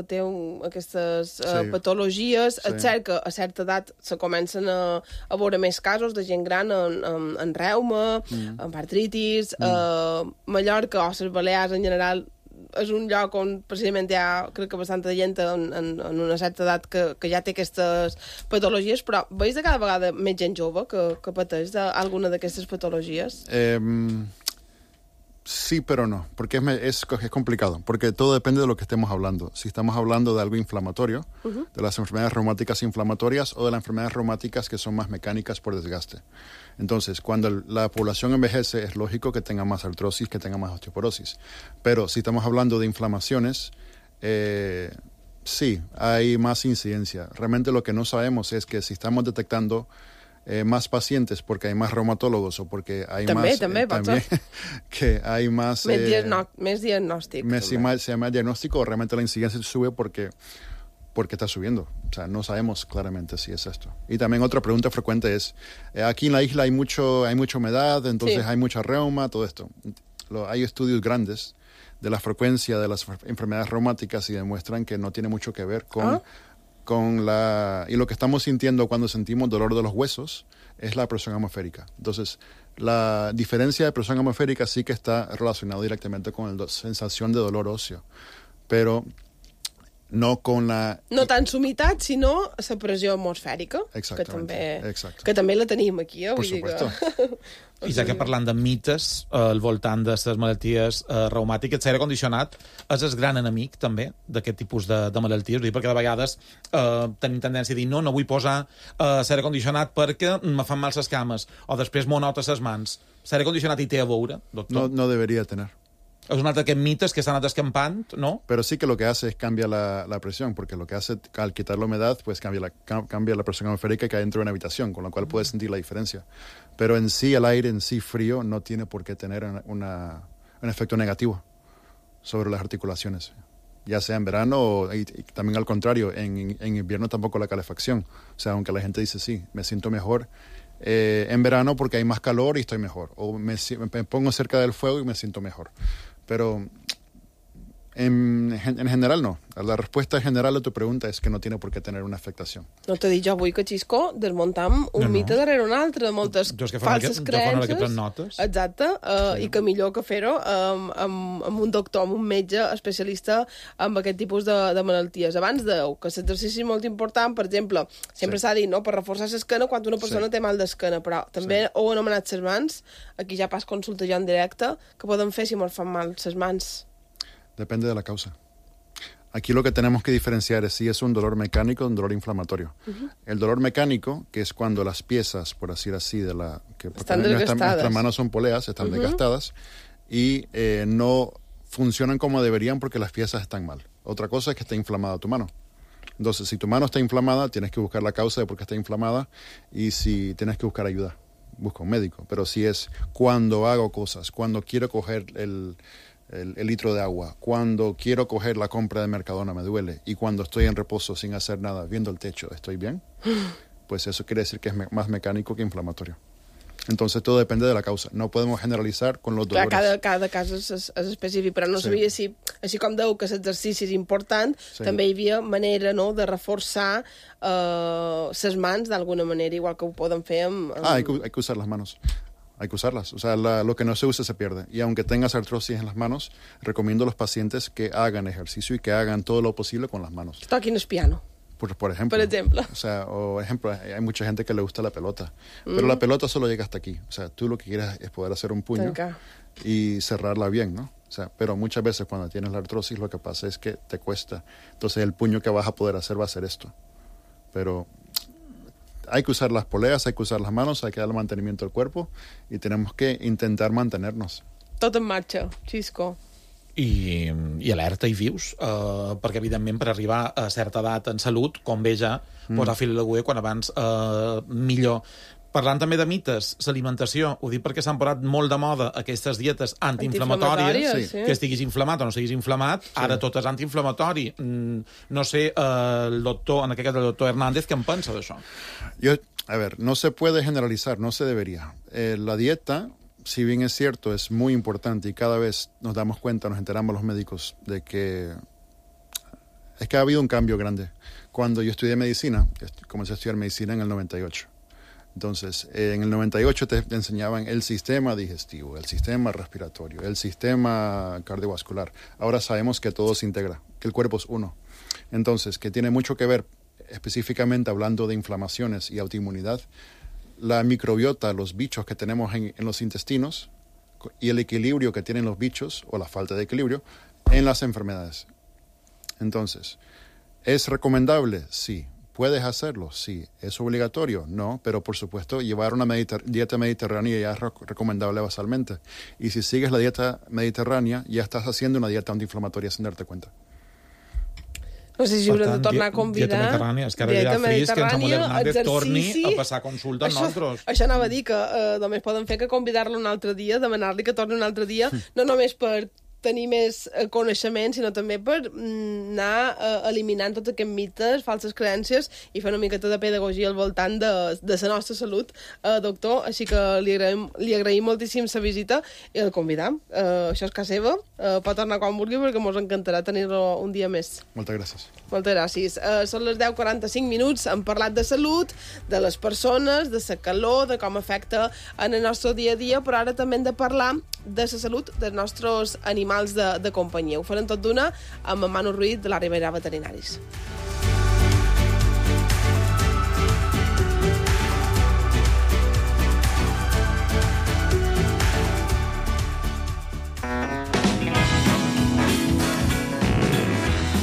Speaker 2: té aquestes patologies. És cert que a certa edat se comencen a veure més casos de gent gran en reuma, en artritis, Mallorca o les Balears en general és un lloc on precisament hi ha, crec que bastanta gent en una certa edat que ja té aquestes patologies, però veus de cada vegada més gent jove que pateix d'alguna d'aquestes patologies?
Speaker 10: Sí, pero no, porque es complicado, porque todo depende de lo que estemos hablando. Si estamos hablando de algo inflamatorio, de las enfermedades reumáticas inflamatorias o de las enfermedades reumáticas que son más mecánicas por desgaste. Entonces, cuando la población envejece, es lógico que tenga más artrosis, que tenga más osteoporosis. Pero si estamos hablando de inflamaciones, sí, hay más incidencia. Realmente lo que no sabemos es que si estamos detectando más pacientes porque hay más reumatólogos o porque hay
Speaker 2: también
Speaker 10: que hay más
Speaker 2: diagnóstico.
Speaker 10: Más diagnóstico o realmente la incidencia sube porque está subiendo. O sea, no sabemos claramente si es esto. Y también otra pregunta frecuente es, aquí en la isla hay mucha humedad, entonces hay mucha reuma, todo esto. Hay estudios grandes de la frecuencia de las enfermedades reumáticas y demuestran que no tiene mucho que ver y lo que estamos sintiendo cuando sentimos dolor de los huesos es la presión atmosférica. Entonces, la diferencia de presión atmosférica sí que está relacionada directamente con la sensación de dolor óseo, pero no con la...
Speaker 2: No tant humitat, sinó la pressió atmosfèrica, que també la tenim aquí.
Speaker 10: Por supuesto.
Speaker 4: I ja que parlant de mites al voltant de les malalties reumàtiques, l'aire condicionat és el gran enemic, també, d'aquest tipus de malalties. Perquè de vegades tenim tendència a dir no vull posar l'aire condicionat perquè me fan mal les cames, o després m'ho nota les mans. L'aire condicionat hi té a veure, doctor?
Speaker 10: No debería tener.
Speaker 4: Es un altre d'aquests mites que s'han anat escampant, ¿no?
Speaker 10: Pero sí que lo que hace es cambia la presión, porque lo que hace al quitar la humedad, pues cambia la presión atmosférica que hay dentro de una habitación, con lo cual puedes sentir la diferencia. Pero en sí, el aire en sí frío no tiene por qué tener un efecto negativo sobre las articulaciones, ya sea en verano y también al contrario, en invierno tampoco la calefacción. O sea, aunque la gente dice, sí, me siento mejor en verano porque hay más calor y estoy mejor, o me pongo cerca del fuego y me siento mejor. Pero en general no. La respuesta general a tu pregunta es que no tiene por qué tener una afectación.
Speaker 2: No t'he dit jo avui que, Xisco, desmuntam un mite darrere un altre, de moltes falses creences. Exacte, i que millor que fer-ho amb un doctor, amb un metge especialista amb aquest tipus de malalties. Abans dèieu que l'exercici és molt important, per exemple, sempre s'ha dit, no?, per reforçar l'esquena quan una persona té mal d'esquena, però també heu anomenat les mans, aquí ja pas consulta jo en directe, que podem fer si ens fan mal les mans?
Speaker 10: Depende de la causa. Aquí lo que tenemos que diferenciar es si es un dolor mecánico o un dolor inflamatorio. El dolor mecánico, que es cuando las piezas, por decir así, nuestras manos son poleas, están desgastadas y no funcionan como deberían porque las piezas están mal. Otra cosa es que esté inflamada tu mano. Entonces, si tu mano está inflamada, tienes que buscar la causa de por qué está inflamada y si tienes que buscar ayuda, busca un médico. Pero si es cuando hago cosas, cuando quiero coger el litro de agua, cuando quiero coger la compra de Mercadona me duele y cuando estoy en reposo sin hacer nada, viendo el techo, ¿estoy bien? Pues eso quiere decir que es más mecánico que inflamatorio. Entonces todo depende de la causa. No podemos generalizar con los dolores.
Speaker 2: Cada cas és específic, però no sabia si, així com deu que l'exercici és important, també hi havia manera, no?, de reforçar les mans d'alguna manera, igual que ho poden fer amb...
Speaker 10: Hay que usar las manos. Hay que usarlas. O sea, lo que no se usa se pierde. Y aunque tengas artrosis en las manos, recomiendo a los pacientes que hagan ejercicio y que hagan todo lo posible con las manos.
Speaker 2: Toquin el piano.
Speaker 10: Por ejemplo. O sea, hay mucha gente que le gusta la pelota. Pero la pelota solo llega hasta aquí. O sea, tú lo que quieres es poder hacer un puño y cerrarla bien, ¿no? O sea, pero muchas veces cuando tienes la artrosis lo que pasa es que te cuesta. Entonces el puño que vas a poder hacer va a ser esto. Pero... hay que usar las poleas, hay que usar las manos, hay que darle mantenimiento al cuerpo y tenemos que intentar mantenernos.
Speaker 2: Tot en marxa, Xisco.
Speaker 4: I alerta i vius, perquè evidentment per arribar a certa edat en salut, com bé ja, posar fil a l'agulla quan abans millor. Parlant també de mites, l'alimentació, ho dic perquè s'han posat molt de moda aquestes dietes antiinflamatòries,
Speaker 2: sí.
Speaker 4: que estiguis inflamat o no estiguis inflamat, ara tot és antiinflamatori. No sé, el doctor, en aquest cas el doctor Hernández, què en pensa d'això?
Speaker 10: A ver, no se puede generalizar, no se debería. La dieta, si bien es cierto, es muy importante y cada vez nos damos cuenta, nos enteramos los médicos de que es que ha habido un cambio grande. Cuando yo estudié medicina, comencé a estudiar medicina en el 98. Entonces, en el 98 te enseñaban el sistema digestivo, el sistema respiratorio, el sistema cardiovascular. Ahora sabemos que todo se integra, que el cuerpo es uno. Entonces, que tiene mucho que ver, específicamente hablando de inflamaciones y autoinmunidad, la microbiota, los bichos que tenemos en los intestinos y el equilibrio que tienen los bichos, o la falta de equilibrio, en las enfermedades. Entonces, ¿es recomendable? Sí. ¿Puedes hacerlo? Sí. ¿Es obligatorio? No, pero por supuesto llevar una dieta mediterránea ya es recomendable basalmente. Y si sigues la dieta mediterránea, ya estás haciendo una dieta antiinflamatoria sin darte cuenta.
Speaker 2: No sé si haurem de tornar a convidar...
Speaker 4: Dieta mediterrània. És que ara ja fris que en Samuel Hernández torni a passar consulta amb nosaltres.
Speaker 2: Això anava a dir que només poden fer que convidar-lo un altre dia, demanar-li que torni un altre dia, no només per tenir més coneixement, sinó també per anar eliminant tots aquests mites, falses creences i fer una miqueta de pedagogia al voltant de la nostra salut, doctor. Així que li agraïm moltíssim la visita i el convidam. Això és casa seva, pot tornar quan vulgui perquè ens encantarà tenir-lo un dia més.
Speaker 10: Moltes gràcies.
Speaker 2: Moltes gràcies. Són les 10:45 minuts, hem parlat de salut, de les persones, de la calor, de com afecta en el nostre dia a dia, però ara també hem de parlar de la salut dels nostres animals de companyia. Ho farem tot d'una amb en Manu Ruiz de la Ribera Veterinaris.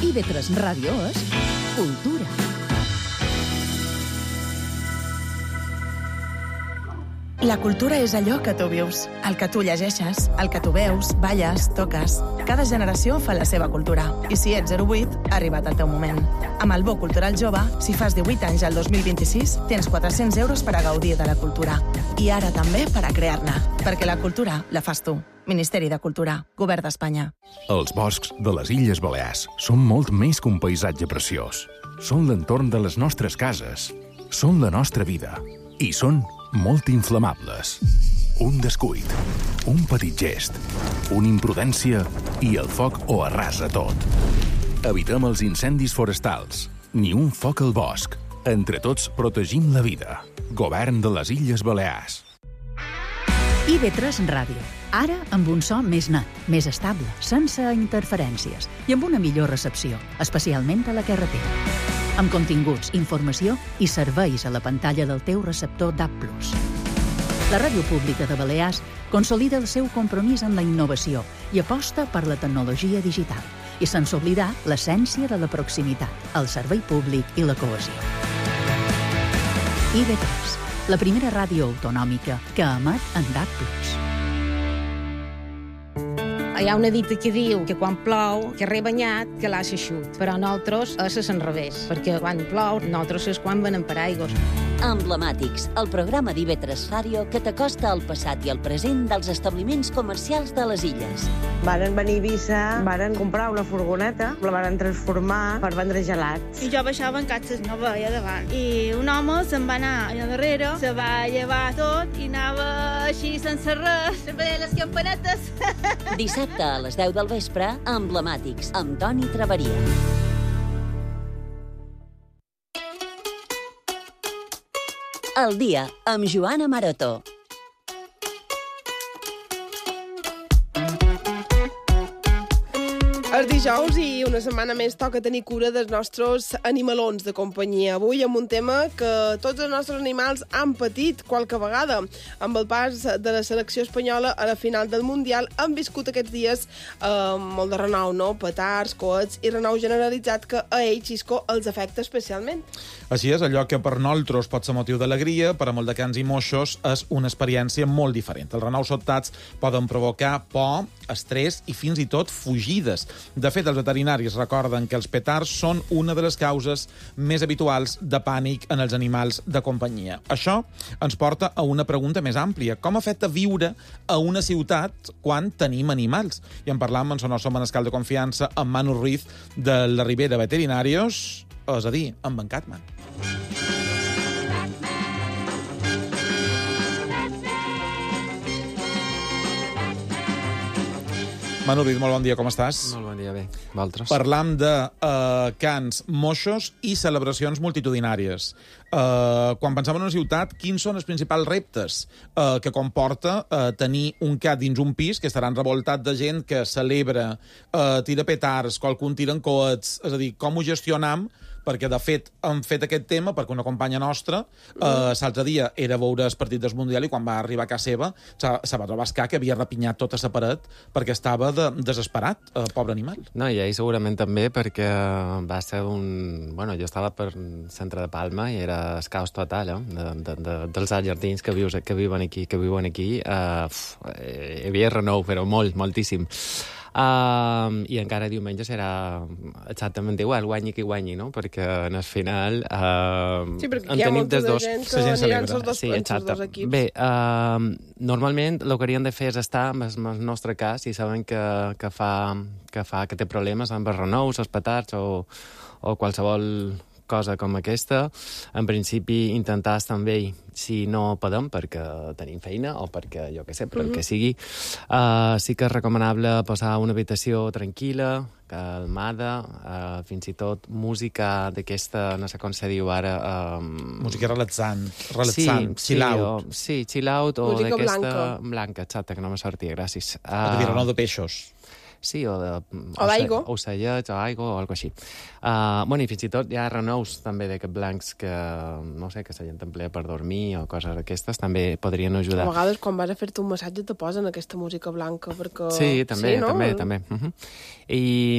Speaker 11: IB3 Ràdio és cultura.
Speaker 7: La cultura és allò que tu vius, el que tu llegeixes, el que tu veus, balles, toques. Cada generació fa la seva cultura. I si ets 08, ha arribat el teu moment. Amb el Bo Cultural Jove, si fas 18 anys al 2026, tens 400 euros per a gaudir de la cultura. I ara també per a crear-ne. Perquè la cultura la fas tu. Ministeri de Cultura, Govern d'Espanya.
Speaker 12: Els boscs de les Illes Balears són molt més que un paisatge preciós. Són l'entorn de les nostres cases. Són la nostra vida. I són molt inflamables. Un descuit, un petit gest, una imprudència i el foc ho arrasa tot. Evitem els incendis forestals. Ni un foc al bosc. Entre tots protegim la vida. Govern de les Illes Balears.
Speaker 11: IB3 Ràdio. Ara amb un so més net, més estable, sense interferències i amb una millor recepció, especialment a la carretera. Amb continguts, informació i serveis a la pantalla del teu receptor DAB+. La Ràdio Pública de Balears consolida el seu compromís amb la innovació i aposta per la tecnologia digital, i sense oblidar l'essència de la proximitat, el servei públic i la cohesió. IB3, la primera ràdio autonòmica que emet en DAB+.
Speaker 13: Hi ha una dita que diu que quan plou, que rebanyat, que l'ha eixut. Però nosaltres és al revés, perquè quan plou, nosaltres és quan venem paraigües.
Speaker 1: Emblemàtics, el programa d'IB3 Ràdio que t'acosta al passat i al present dels establiments comercials de les illes.
Speaker 14: Varen venir a Eivissa, varen comprar una furgoneta, la varen transformar per vendre gelats.
Speaker 15: I jo baixava en catxes, no veia davant. I un home se'n va anar allà darrere, se va llevar tot i anava així sense res, veia les campanetes.
Speaker 1: Dissabte a les 10 del vespre, Emblemàtics, amb Toni Traveria. El dia, amb Joana Maroto.
Speaker 2: És dijous i una setmana més toca tenir cura dels nostres animalons de companyia. Avui amb un tema que tots els nostres animals han patit qualque vegada. Amb el pas de la selecció espanyola a la final del Mundial han viscut aquests dies molt de renou, no? Petards, coets i renou generalitzat que a ells, Xisco, els afecta especialment.
Speaker 4: Així és, allò que per nosaltres pot ser motiu d'alegria, per a molt de cans i moixos és una experiència molt diferent. Els renous sobtats poden provocar por, estrès i fins i tot fugides. De fet, els veterinaris recorden que els petards són una de les causes més habituals de pànic en els animals de companyia. Això ens porta a una pregunta més àmplia. Com afecta viure a una ciutat quan tenim animals? I en parlam amb el nostre manescal de confiança, amb Manu Ruiz, de la Ribera Veterinarios, és a dir, amb en Catman. Manu Ruiz, molt bon dia, com estàs?
Speaker 16: Molt bon dia, bé. Vosaltres?
Speaker 4: Parlam de cans, moixos i celebracions multitudinàries. Quan pensem en una ciutat, quins són els principals reptes que comporta tenir un cat dins un pis que estaran revoltat de gent que celebra, tira petards, qualcun tira en coets, és a dir, com ho gestionam? Perquè, de fet, hem fet aquest tema perquè una companya nostra l'altre dia era a veure el partit del Mundial i quan va arribar a casa seva se va trobar el cat que havia repinyat tota la paret perquè estava desesperat, pobre animal.
Speaker 16: No, i ell segurament també perquè va ser un... Bueno, jo estava per centre de Palma i era el caos total, dels jardins que viuen aquí. Hi havia renou, però moltíssim. I encara diumenge serà exactament igual, guanyi qui guanyi, no? Perquè en el final
Speaker 2: sí, perquè hi ha molta de gent que aniran els dos equips.
Speaker 16: Bé, normalment el que haurien de fer és estar, en el nostre cas, si saben que té problemes amb els renous, els petards o qualsevol cosa com aquesta, en principi intentar estar amb ell si no podem, perquè tenim feina o perquè, jo què sé, per el que sigui. Sí que és recomanable posar una habitació tranquil·la, calmada, fins i tot música d'aquesta, no sé com se diu ara...
Speaker 4: Música relaxant, chill out.
Speaker 16: Sí, chill out, o
Speaker 2: música
Speaker 16: d'aquesta... Blanca, exacte, que no me sortia, gràcies.
Speaker 4: O de renou de peixos.
Speaker 16: Sí, o
Speaker 2: d'aigua.
Speaker 16: Ocellets, o aigua, o alguna així. I fins i tot hi ha renous també d'aquests blancs que, no sé, que la gent emplea per dormir o coses d'aquestes, també podrien ajudar.
Speaker 2: A vegades, quan vas a fer-te un massatge, te posen aquesta música blanca, perquè...
Speaker 16: Sí, també, sí, no? també. I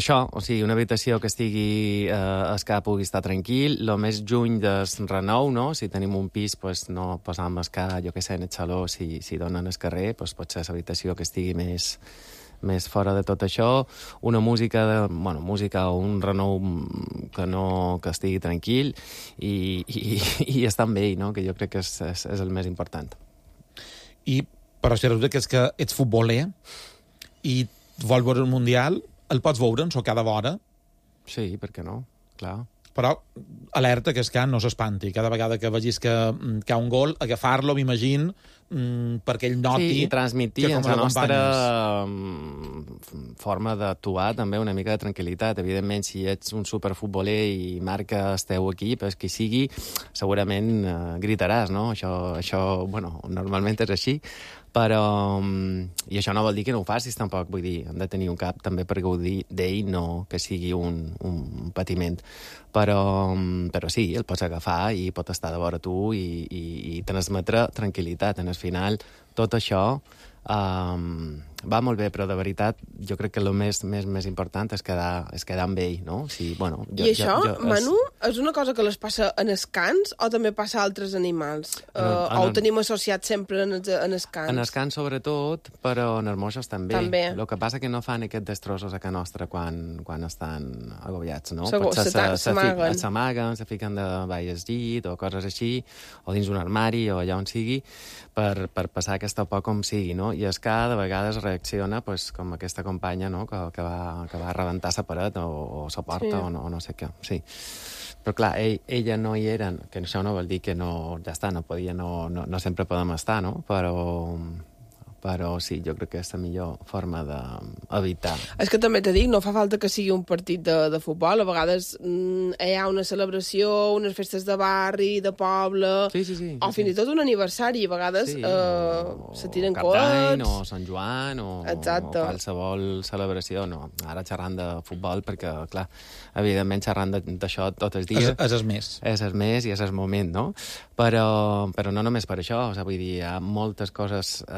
Speaker 16: això, o sigui, una habitació que estigui, el que pugui estar tranquil, el més lluny del renou, no? Si tenim un pis, pues, no posam el que, jo què sé, en el saló, si donen al carrer, pues, pot ser l'habitació que estigui més fora de tot això, una música o un renou que estigui tranquil i estar amb ell, no? Que jo crec que és el més important.
Speaker 4: Però si resulta que és que ets futboler i vols veure un Mundial, el pots veure en cada hora?
Speaker 16: Sí, per què no? Clar.
Speaker 4: Però alerta que el can no s'espanti. Cada vegada que vegis que hi ha un gol, agafar-lo, m'imagino, perquè ell noti...
Speaker 16: Sí, i transmitir en la nostra forma d'actuar també una mica de tranquil·litat. Evidentment, si ets un superfutboler i marca el teu equip, el que sigui, segurament gritaràs, no? Això, normalment és així, però... I això no vol dir que no ho facis, tampoc. Vull dir, hem de tenir un cap també per gaudir d'ell, no que sigui un patiment. Però sí, el pots agafar i pot estar de vora tu i transmetre tranquil·litat. En el final, tot això va molt bé, però de veritat jo crec que el més important és quedar amb ell, no? Sí,
Speaker 2: Manu, és una cosa que les passa en els cans o també passa a altres animals? O ho tenim associat sempre en els cans?
Speaker 16: En els cans sobretot, però en els moixos també. El que passa que no fan aquests destrossos a casa nostra quan estan agobiats, no? S'amaguen, se fiquen de baix al llit o coses així, o dins un armari o allà on sigui, per passar aquesta por com sigui, no? I el ca de vegades reacciona com aquesta companya, no? que va rebentar la paret o la porta o no sé què. Sí. Però clar, ella no hi era, que això no vol dir que no, ja està, no sempre podem estar, no? Però sí, jo crec que és la millor forma d'evitar.
Speaker 2: És que també t'he dit, no fa falta que sigui un partit de futbol, a vegades hi ha una celebració, unes festes de barri, de poble, o fins i tot un aniversari, a vegades se tiren coets...
Speaker 16: O Sant Joan, o qualsevol celebració, no. Ara xerrant de futbol, perquè, clar, evidentment xerrant d'això tots els dies...
Speaker 4: És el més.
Speaker 16: És el més i és el moment, no? Però no només per això, o sigui, vull dir, hi ha moltes coses...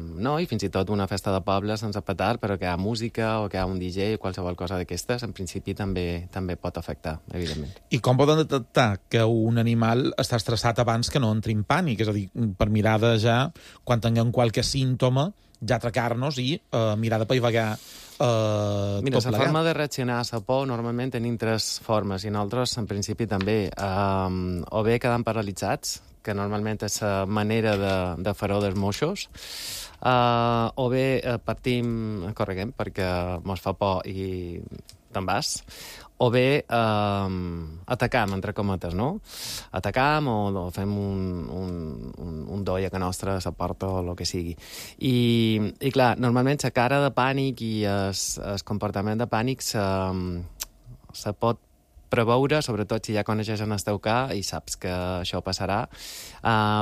Speaker 16: No, i fins i tot una festa de poble sense petard, però que hi ha música o que hi ha un DJ o qualsevol cosa d'aquestes, en principi també pot afectar, evidentment.
Speaker 4: I com poden detectar que un animal està estressat abans que no entri en pànic? És a dir, per mirar de ja, quan tinguem qualque símptoma, ja atracar-nos i mirar de paivagar
Speaker 16: Mira, la forma de reaccionar a la por normalment tenim 3 formes, i nosaltres, en principi, també. O bé quedant paralitzats, que normalment és la manera de fer-ho dels moixos, o bé correguem perquè mos fa por i te'n vas, o bé atacam, entre cometes, no? Atacam o fem un doi a que nostra, a la porta o el que sigui. I clar, normalment la cara de pànic i el comportament de pànic se pot preveure, sobretot si ja coneixes el teu cas i saps que això passarà,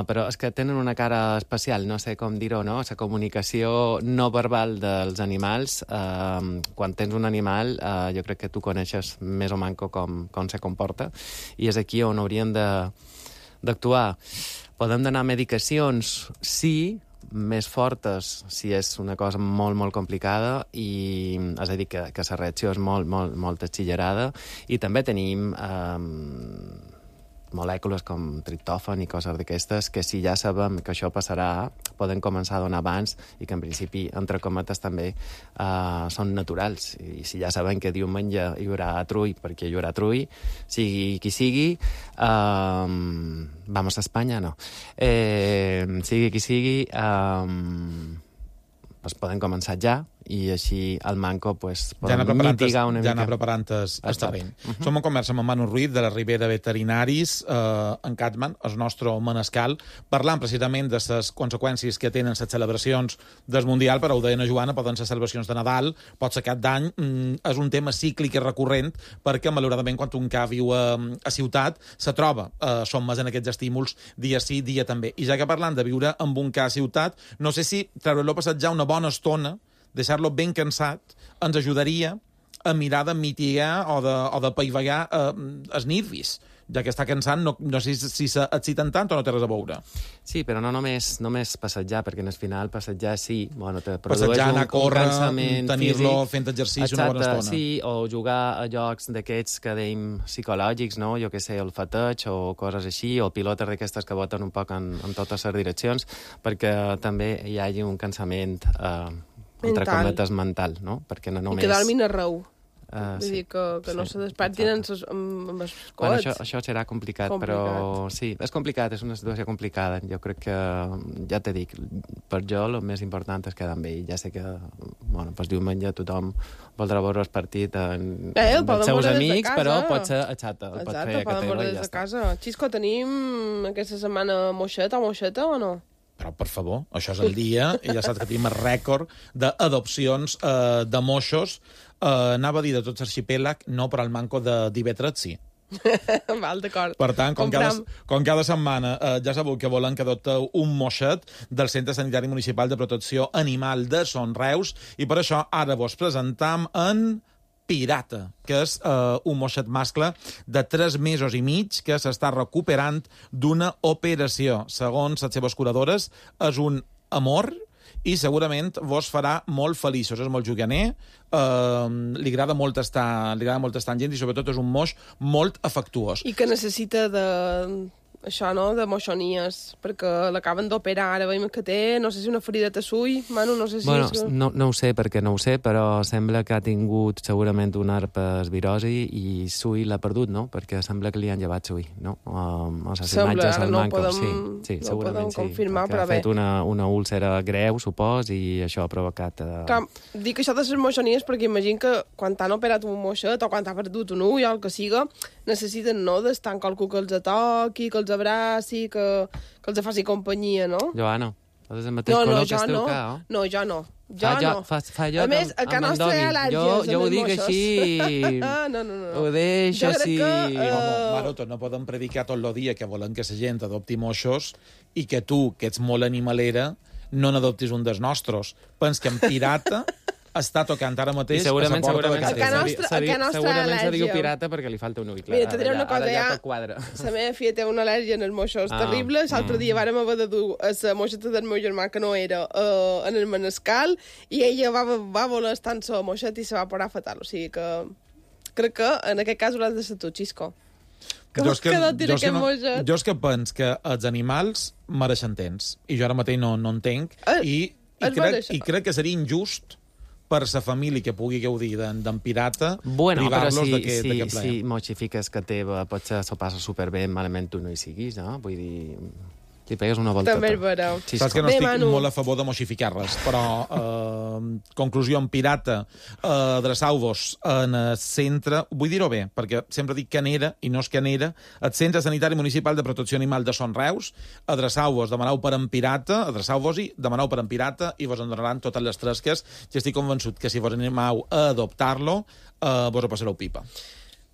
Speaker 16: però és que tenen una cara especial, no sé com dir-ho, no? La comunicació no verbal dels animals, quan tens un animal, jo crec que tu coneixes més o manco com se comporta, i és aquí on hauríem d'actuar. Podem donar medicacions, sí, més fortes si és una cosa molt, molt complicada, i és a dir, que la reacció és molt, molt, molt exagerada, i també tenim molècules com triptòfan i coses d'aquestes que si ja sabem que això passarà poden començar a donar abans i que en principi, entre cometes, també són naturals. I si ja sabem que diumenge hi haurà trull, perquè hi haurà trull, sigui qui sigui, vamos a Espanya, no. Sigui qui sigui, pues poden començar ja, i així el manco pues, podem mitigar una mica.
Speaker 4: Ja anar preparant el terreny. Som en conversa amb Manu Ruiz, de la Ribera Veterinaris, en Catman, el nostre manescal, parlant precisament de les conseqüències que tenen les celebracions del Mundial, però ho deia na Joana, poden ser celebracions de Nadal, pot ser cap d'any, és un tema cíclic i recurrent, perquè, malauradament, quan un ca viu a ciutat, se troba sommes en aquests estímuls dia sí, dia també. I ja que parlant de viure amb un ca a ciutat, no sé si treure-lo passat ja una bona estona, deixar-lo ben cansat, ens ajudaria a mirar de mitigar o de paivagar els nervis, ja que està cansant, no sé si s'exciten tant o no té res a veure.
Speaker 16: Sí, però no només passejar, perquè en el final passejar sí, bueno, te produeix
Speaker 4: passejar, anar a córrer, tenir-lo
Speaker 16: físic,
Speaker 4: fent exercici una bona estona.
Speaker 16: Sí, o jugar a jocs d'aquests que deim psicològics, no? Jo què sé, el fateig o coses així, o pilotes d'aquestes que boten un poc en totes les direccions, perquè també hi hagi un cansament entre cometes mental, no? Perquè no només...
Speaker 2: I que dormin arreu. Vull dir que no se despertin amb els coets.
Speaker 16: Bueno, això serà complicat, però sí, és complicat, és una situació complicada. Jo crec que, ja t'he dit, per jo el més important és quedar amb ell. Ja sé que, bueno, pues diumenge tothom voldrà veure el partit amb els seus amics, però pot ser a xata.
Speaker 2: Exacte, poden veure des de casa. Xisco, tenim aquesta setmana moixeta o no?
Speaker 4: Però, per favor, això és el dia, i ja saps que tenim el rècord d'adopcions de moixos. Anava a dir de tot l'arxipèlag, no, però el manco de d'Ivetres sí.
Speaker 2: Val, d'acord.
Speaker 4: Per tant, com cada setmana ja sabeu que volen que adopteu un moixet del Centre Sanitari Municipal de Protecció Animal de Son Reus, i per això ara vos presentam en Pirata, que és un moixet mascle de 3 mesos i mig que s'està recuperant d'una operació. Segons les seves curadores, és un amor i segurament vos farà molt feliços. És molt juganer, li agrada molt estar amb gent i sobretot és un moix molt afectuós.
Speaker 2: I que necessita això, no?, de moixonies, perquè l'acaben d'operar, ara veiem que té, no sé si una ferida de sull, Manu, no sé si...
Speaker 16: Bueno, no ho sé, perquè no ho sé, però sembla que ha tingut segurament una herpesvirosi i sull l'ha perdut, no?, perquè sembla que li han llevat sull, no? O les imatges al manco, sí, segurament sí,
Speaker 2: confirmar,
Speaker 16: perquè ha fet una úlcera greu, supos, i això ha provocat...
Speaker 2: Dic això de les moixonies perquè imagino que quan t'han operat un moixet o quan t'ha perdut un ull o el que siga, necessiten, no?, d'estar amb qualcú que els toqui, que els abraci, que els faci companyia, no?
Speaker 16: Joana, és el mateix color que el teu ca, oh?
Speaker 2: No, jo no.
Speaker 16: Fa jo
Speaker 2: a més, a casa nostra hi ha al·lèrgies.
Speaker 16: Jo ho dic així.
Speaker 2: No.
Speaker 16: Ho deixo així.
Speaker 4: Maroto, no podem predicar tot el dia que volen que la gent adopti moixos i que tu, que ets molt animalera, no n'adoptis un dels nostres. Pens que en Pirata està tocant ara mateix
Speaker 16: segurament
Speaker 2: se
Speaker 16: diu pirata perquè li falta un ull.
Speaker 2: Mira, te diré una cosa, la meva filla té una al·lèrgia en els moixos terrible. L'altre dia vàrem haver de dur la moixeta del meu germà, que no era, en el manescal, i ella va voler estar en la moixeta i se va parar fatal. O sigui que crec que en aquest cas hauràs de ser tu, Xisco.
Speaker 4: Jo és que penso que els animals mereixen temps, i jo ara mateix no entenc, i crec que seria injust per la família que pugui gaudir d'en pirata,
Speaker 16: bueno,
Speaker 4: privar-los
Speaker 16: però
Speaker 4: d'aquest plaer.
Speaker 16: si moxifiques que teva potser s'ho passa superbé, malament tu no hi siguis, no? Vull dir... Li pegues una volteta.
Speaker 2: També és vera.
Speaker 4: Saps que no estic molt a favor de moxificar res, però, conclusió, en pirata, adreçau-vos en el centre, vull dir-ho bé, perquè sempre dic Canera, i no és Canera, el Centre Sanitari Municipal de Protecció Animal de Son Reus, adreçau-vos, demaneu per en pirata, adreçau-vos-hi, demaneu per en pirata, i vos en donaran totes les tresques, i estic convençut que si vos animeu a adoptar-lo, vos ho passareu pipa.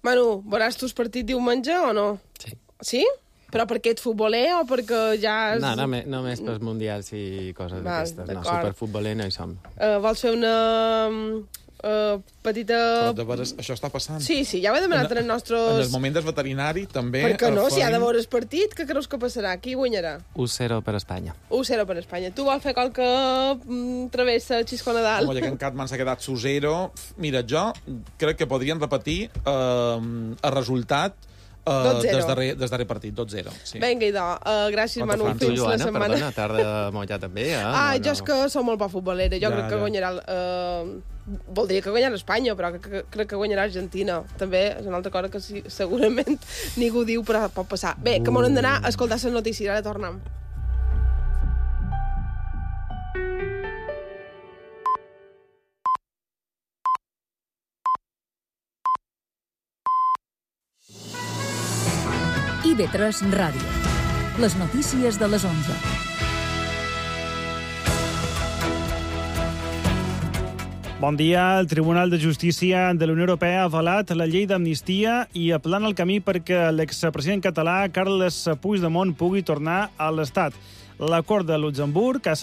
Speaker 2: Manu, veuràs tu el partit diumenge o no?
Speaker 16: Sí.
Speaker 2: Sí? Però perquè ets futboler o perquè ja...
Speaker 16: No, només pels mundials i coses d'aquestes. No, superfutboler no hi som.
Speaker 2: Vols fer una petita...
Speaker 4: Però de veres, això està passant.
Speaker 2: Sí, ja ho he demanat en el nostre...
Speaker 4: En el moment del veterinari, també...
Speaker 2: Per què no? Si ha de veure el partit, què creus que passarà? Qui guanyarà?
Speaker 16: 1-0 per Espanya.
Speaker 2: 1-0 per Espanya. Tu vols fer qualque travessa Xisco Nadal?
Speaker 4: Home, ja que en Catman s'ha quedat 0. Mira, jo crec que podrien repetir el resultat des darrer partit, 2-0. Sí.
Speaker 2: Vinga, idò. Gràcies, Manu. Fins la setmana.
Speaker 16: Perdona, tarda mollar també,
Speaker 2: jo és que som molt poc futbolera. Jo crec que guanyarà... Voldria que guanyarà Espanya, però crec que guanyarà Argentina. També és una altra cosa que segurament ningú diu, però pot passar. Bé, que m'ho hem d'anar a escoltar les notícies. Ara tornem.
Speaker 11: IB3 Ràdio. Les notícies de les 11.
Speaker 17: Bon dia. El Tribunal de Justícia de la Unió Europea ha avalat la llei d'amnistia i aplana el camí perquè l'expresident català Carles Puigdemont pugui tornar a l'Estat. L'acord de Luxemburg ha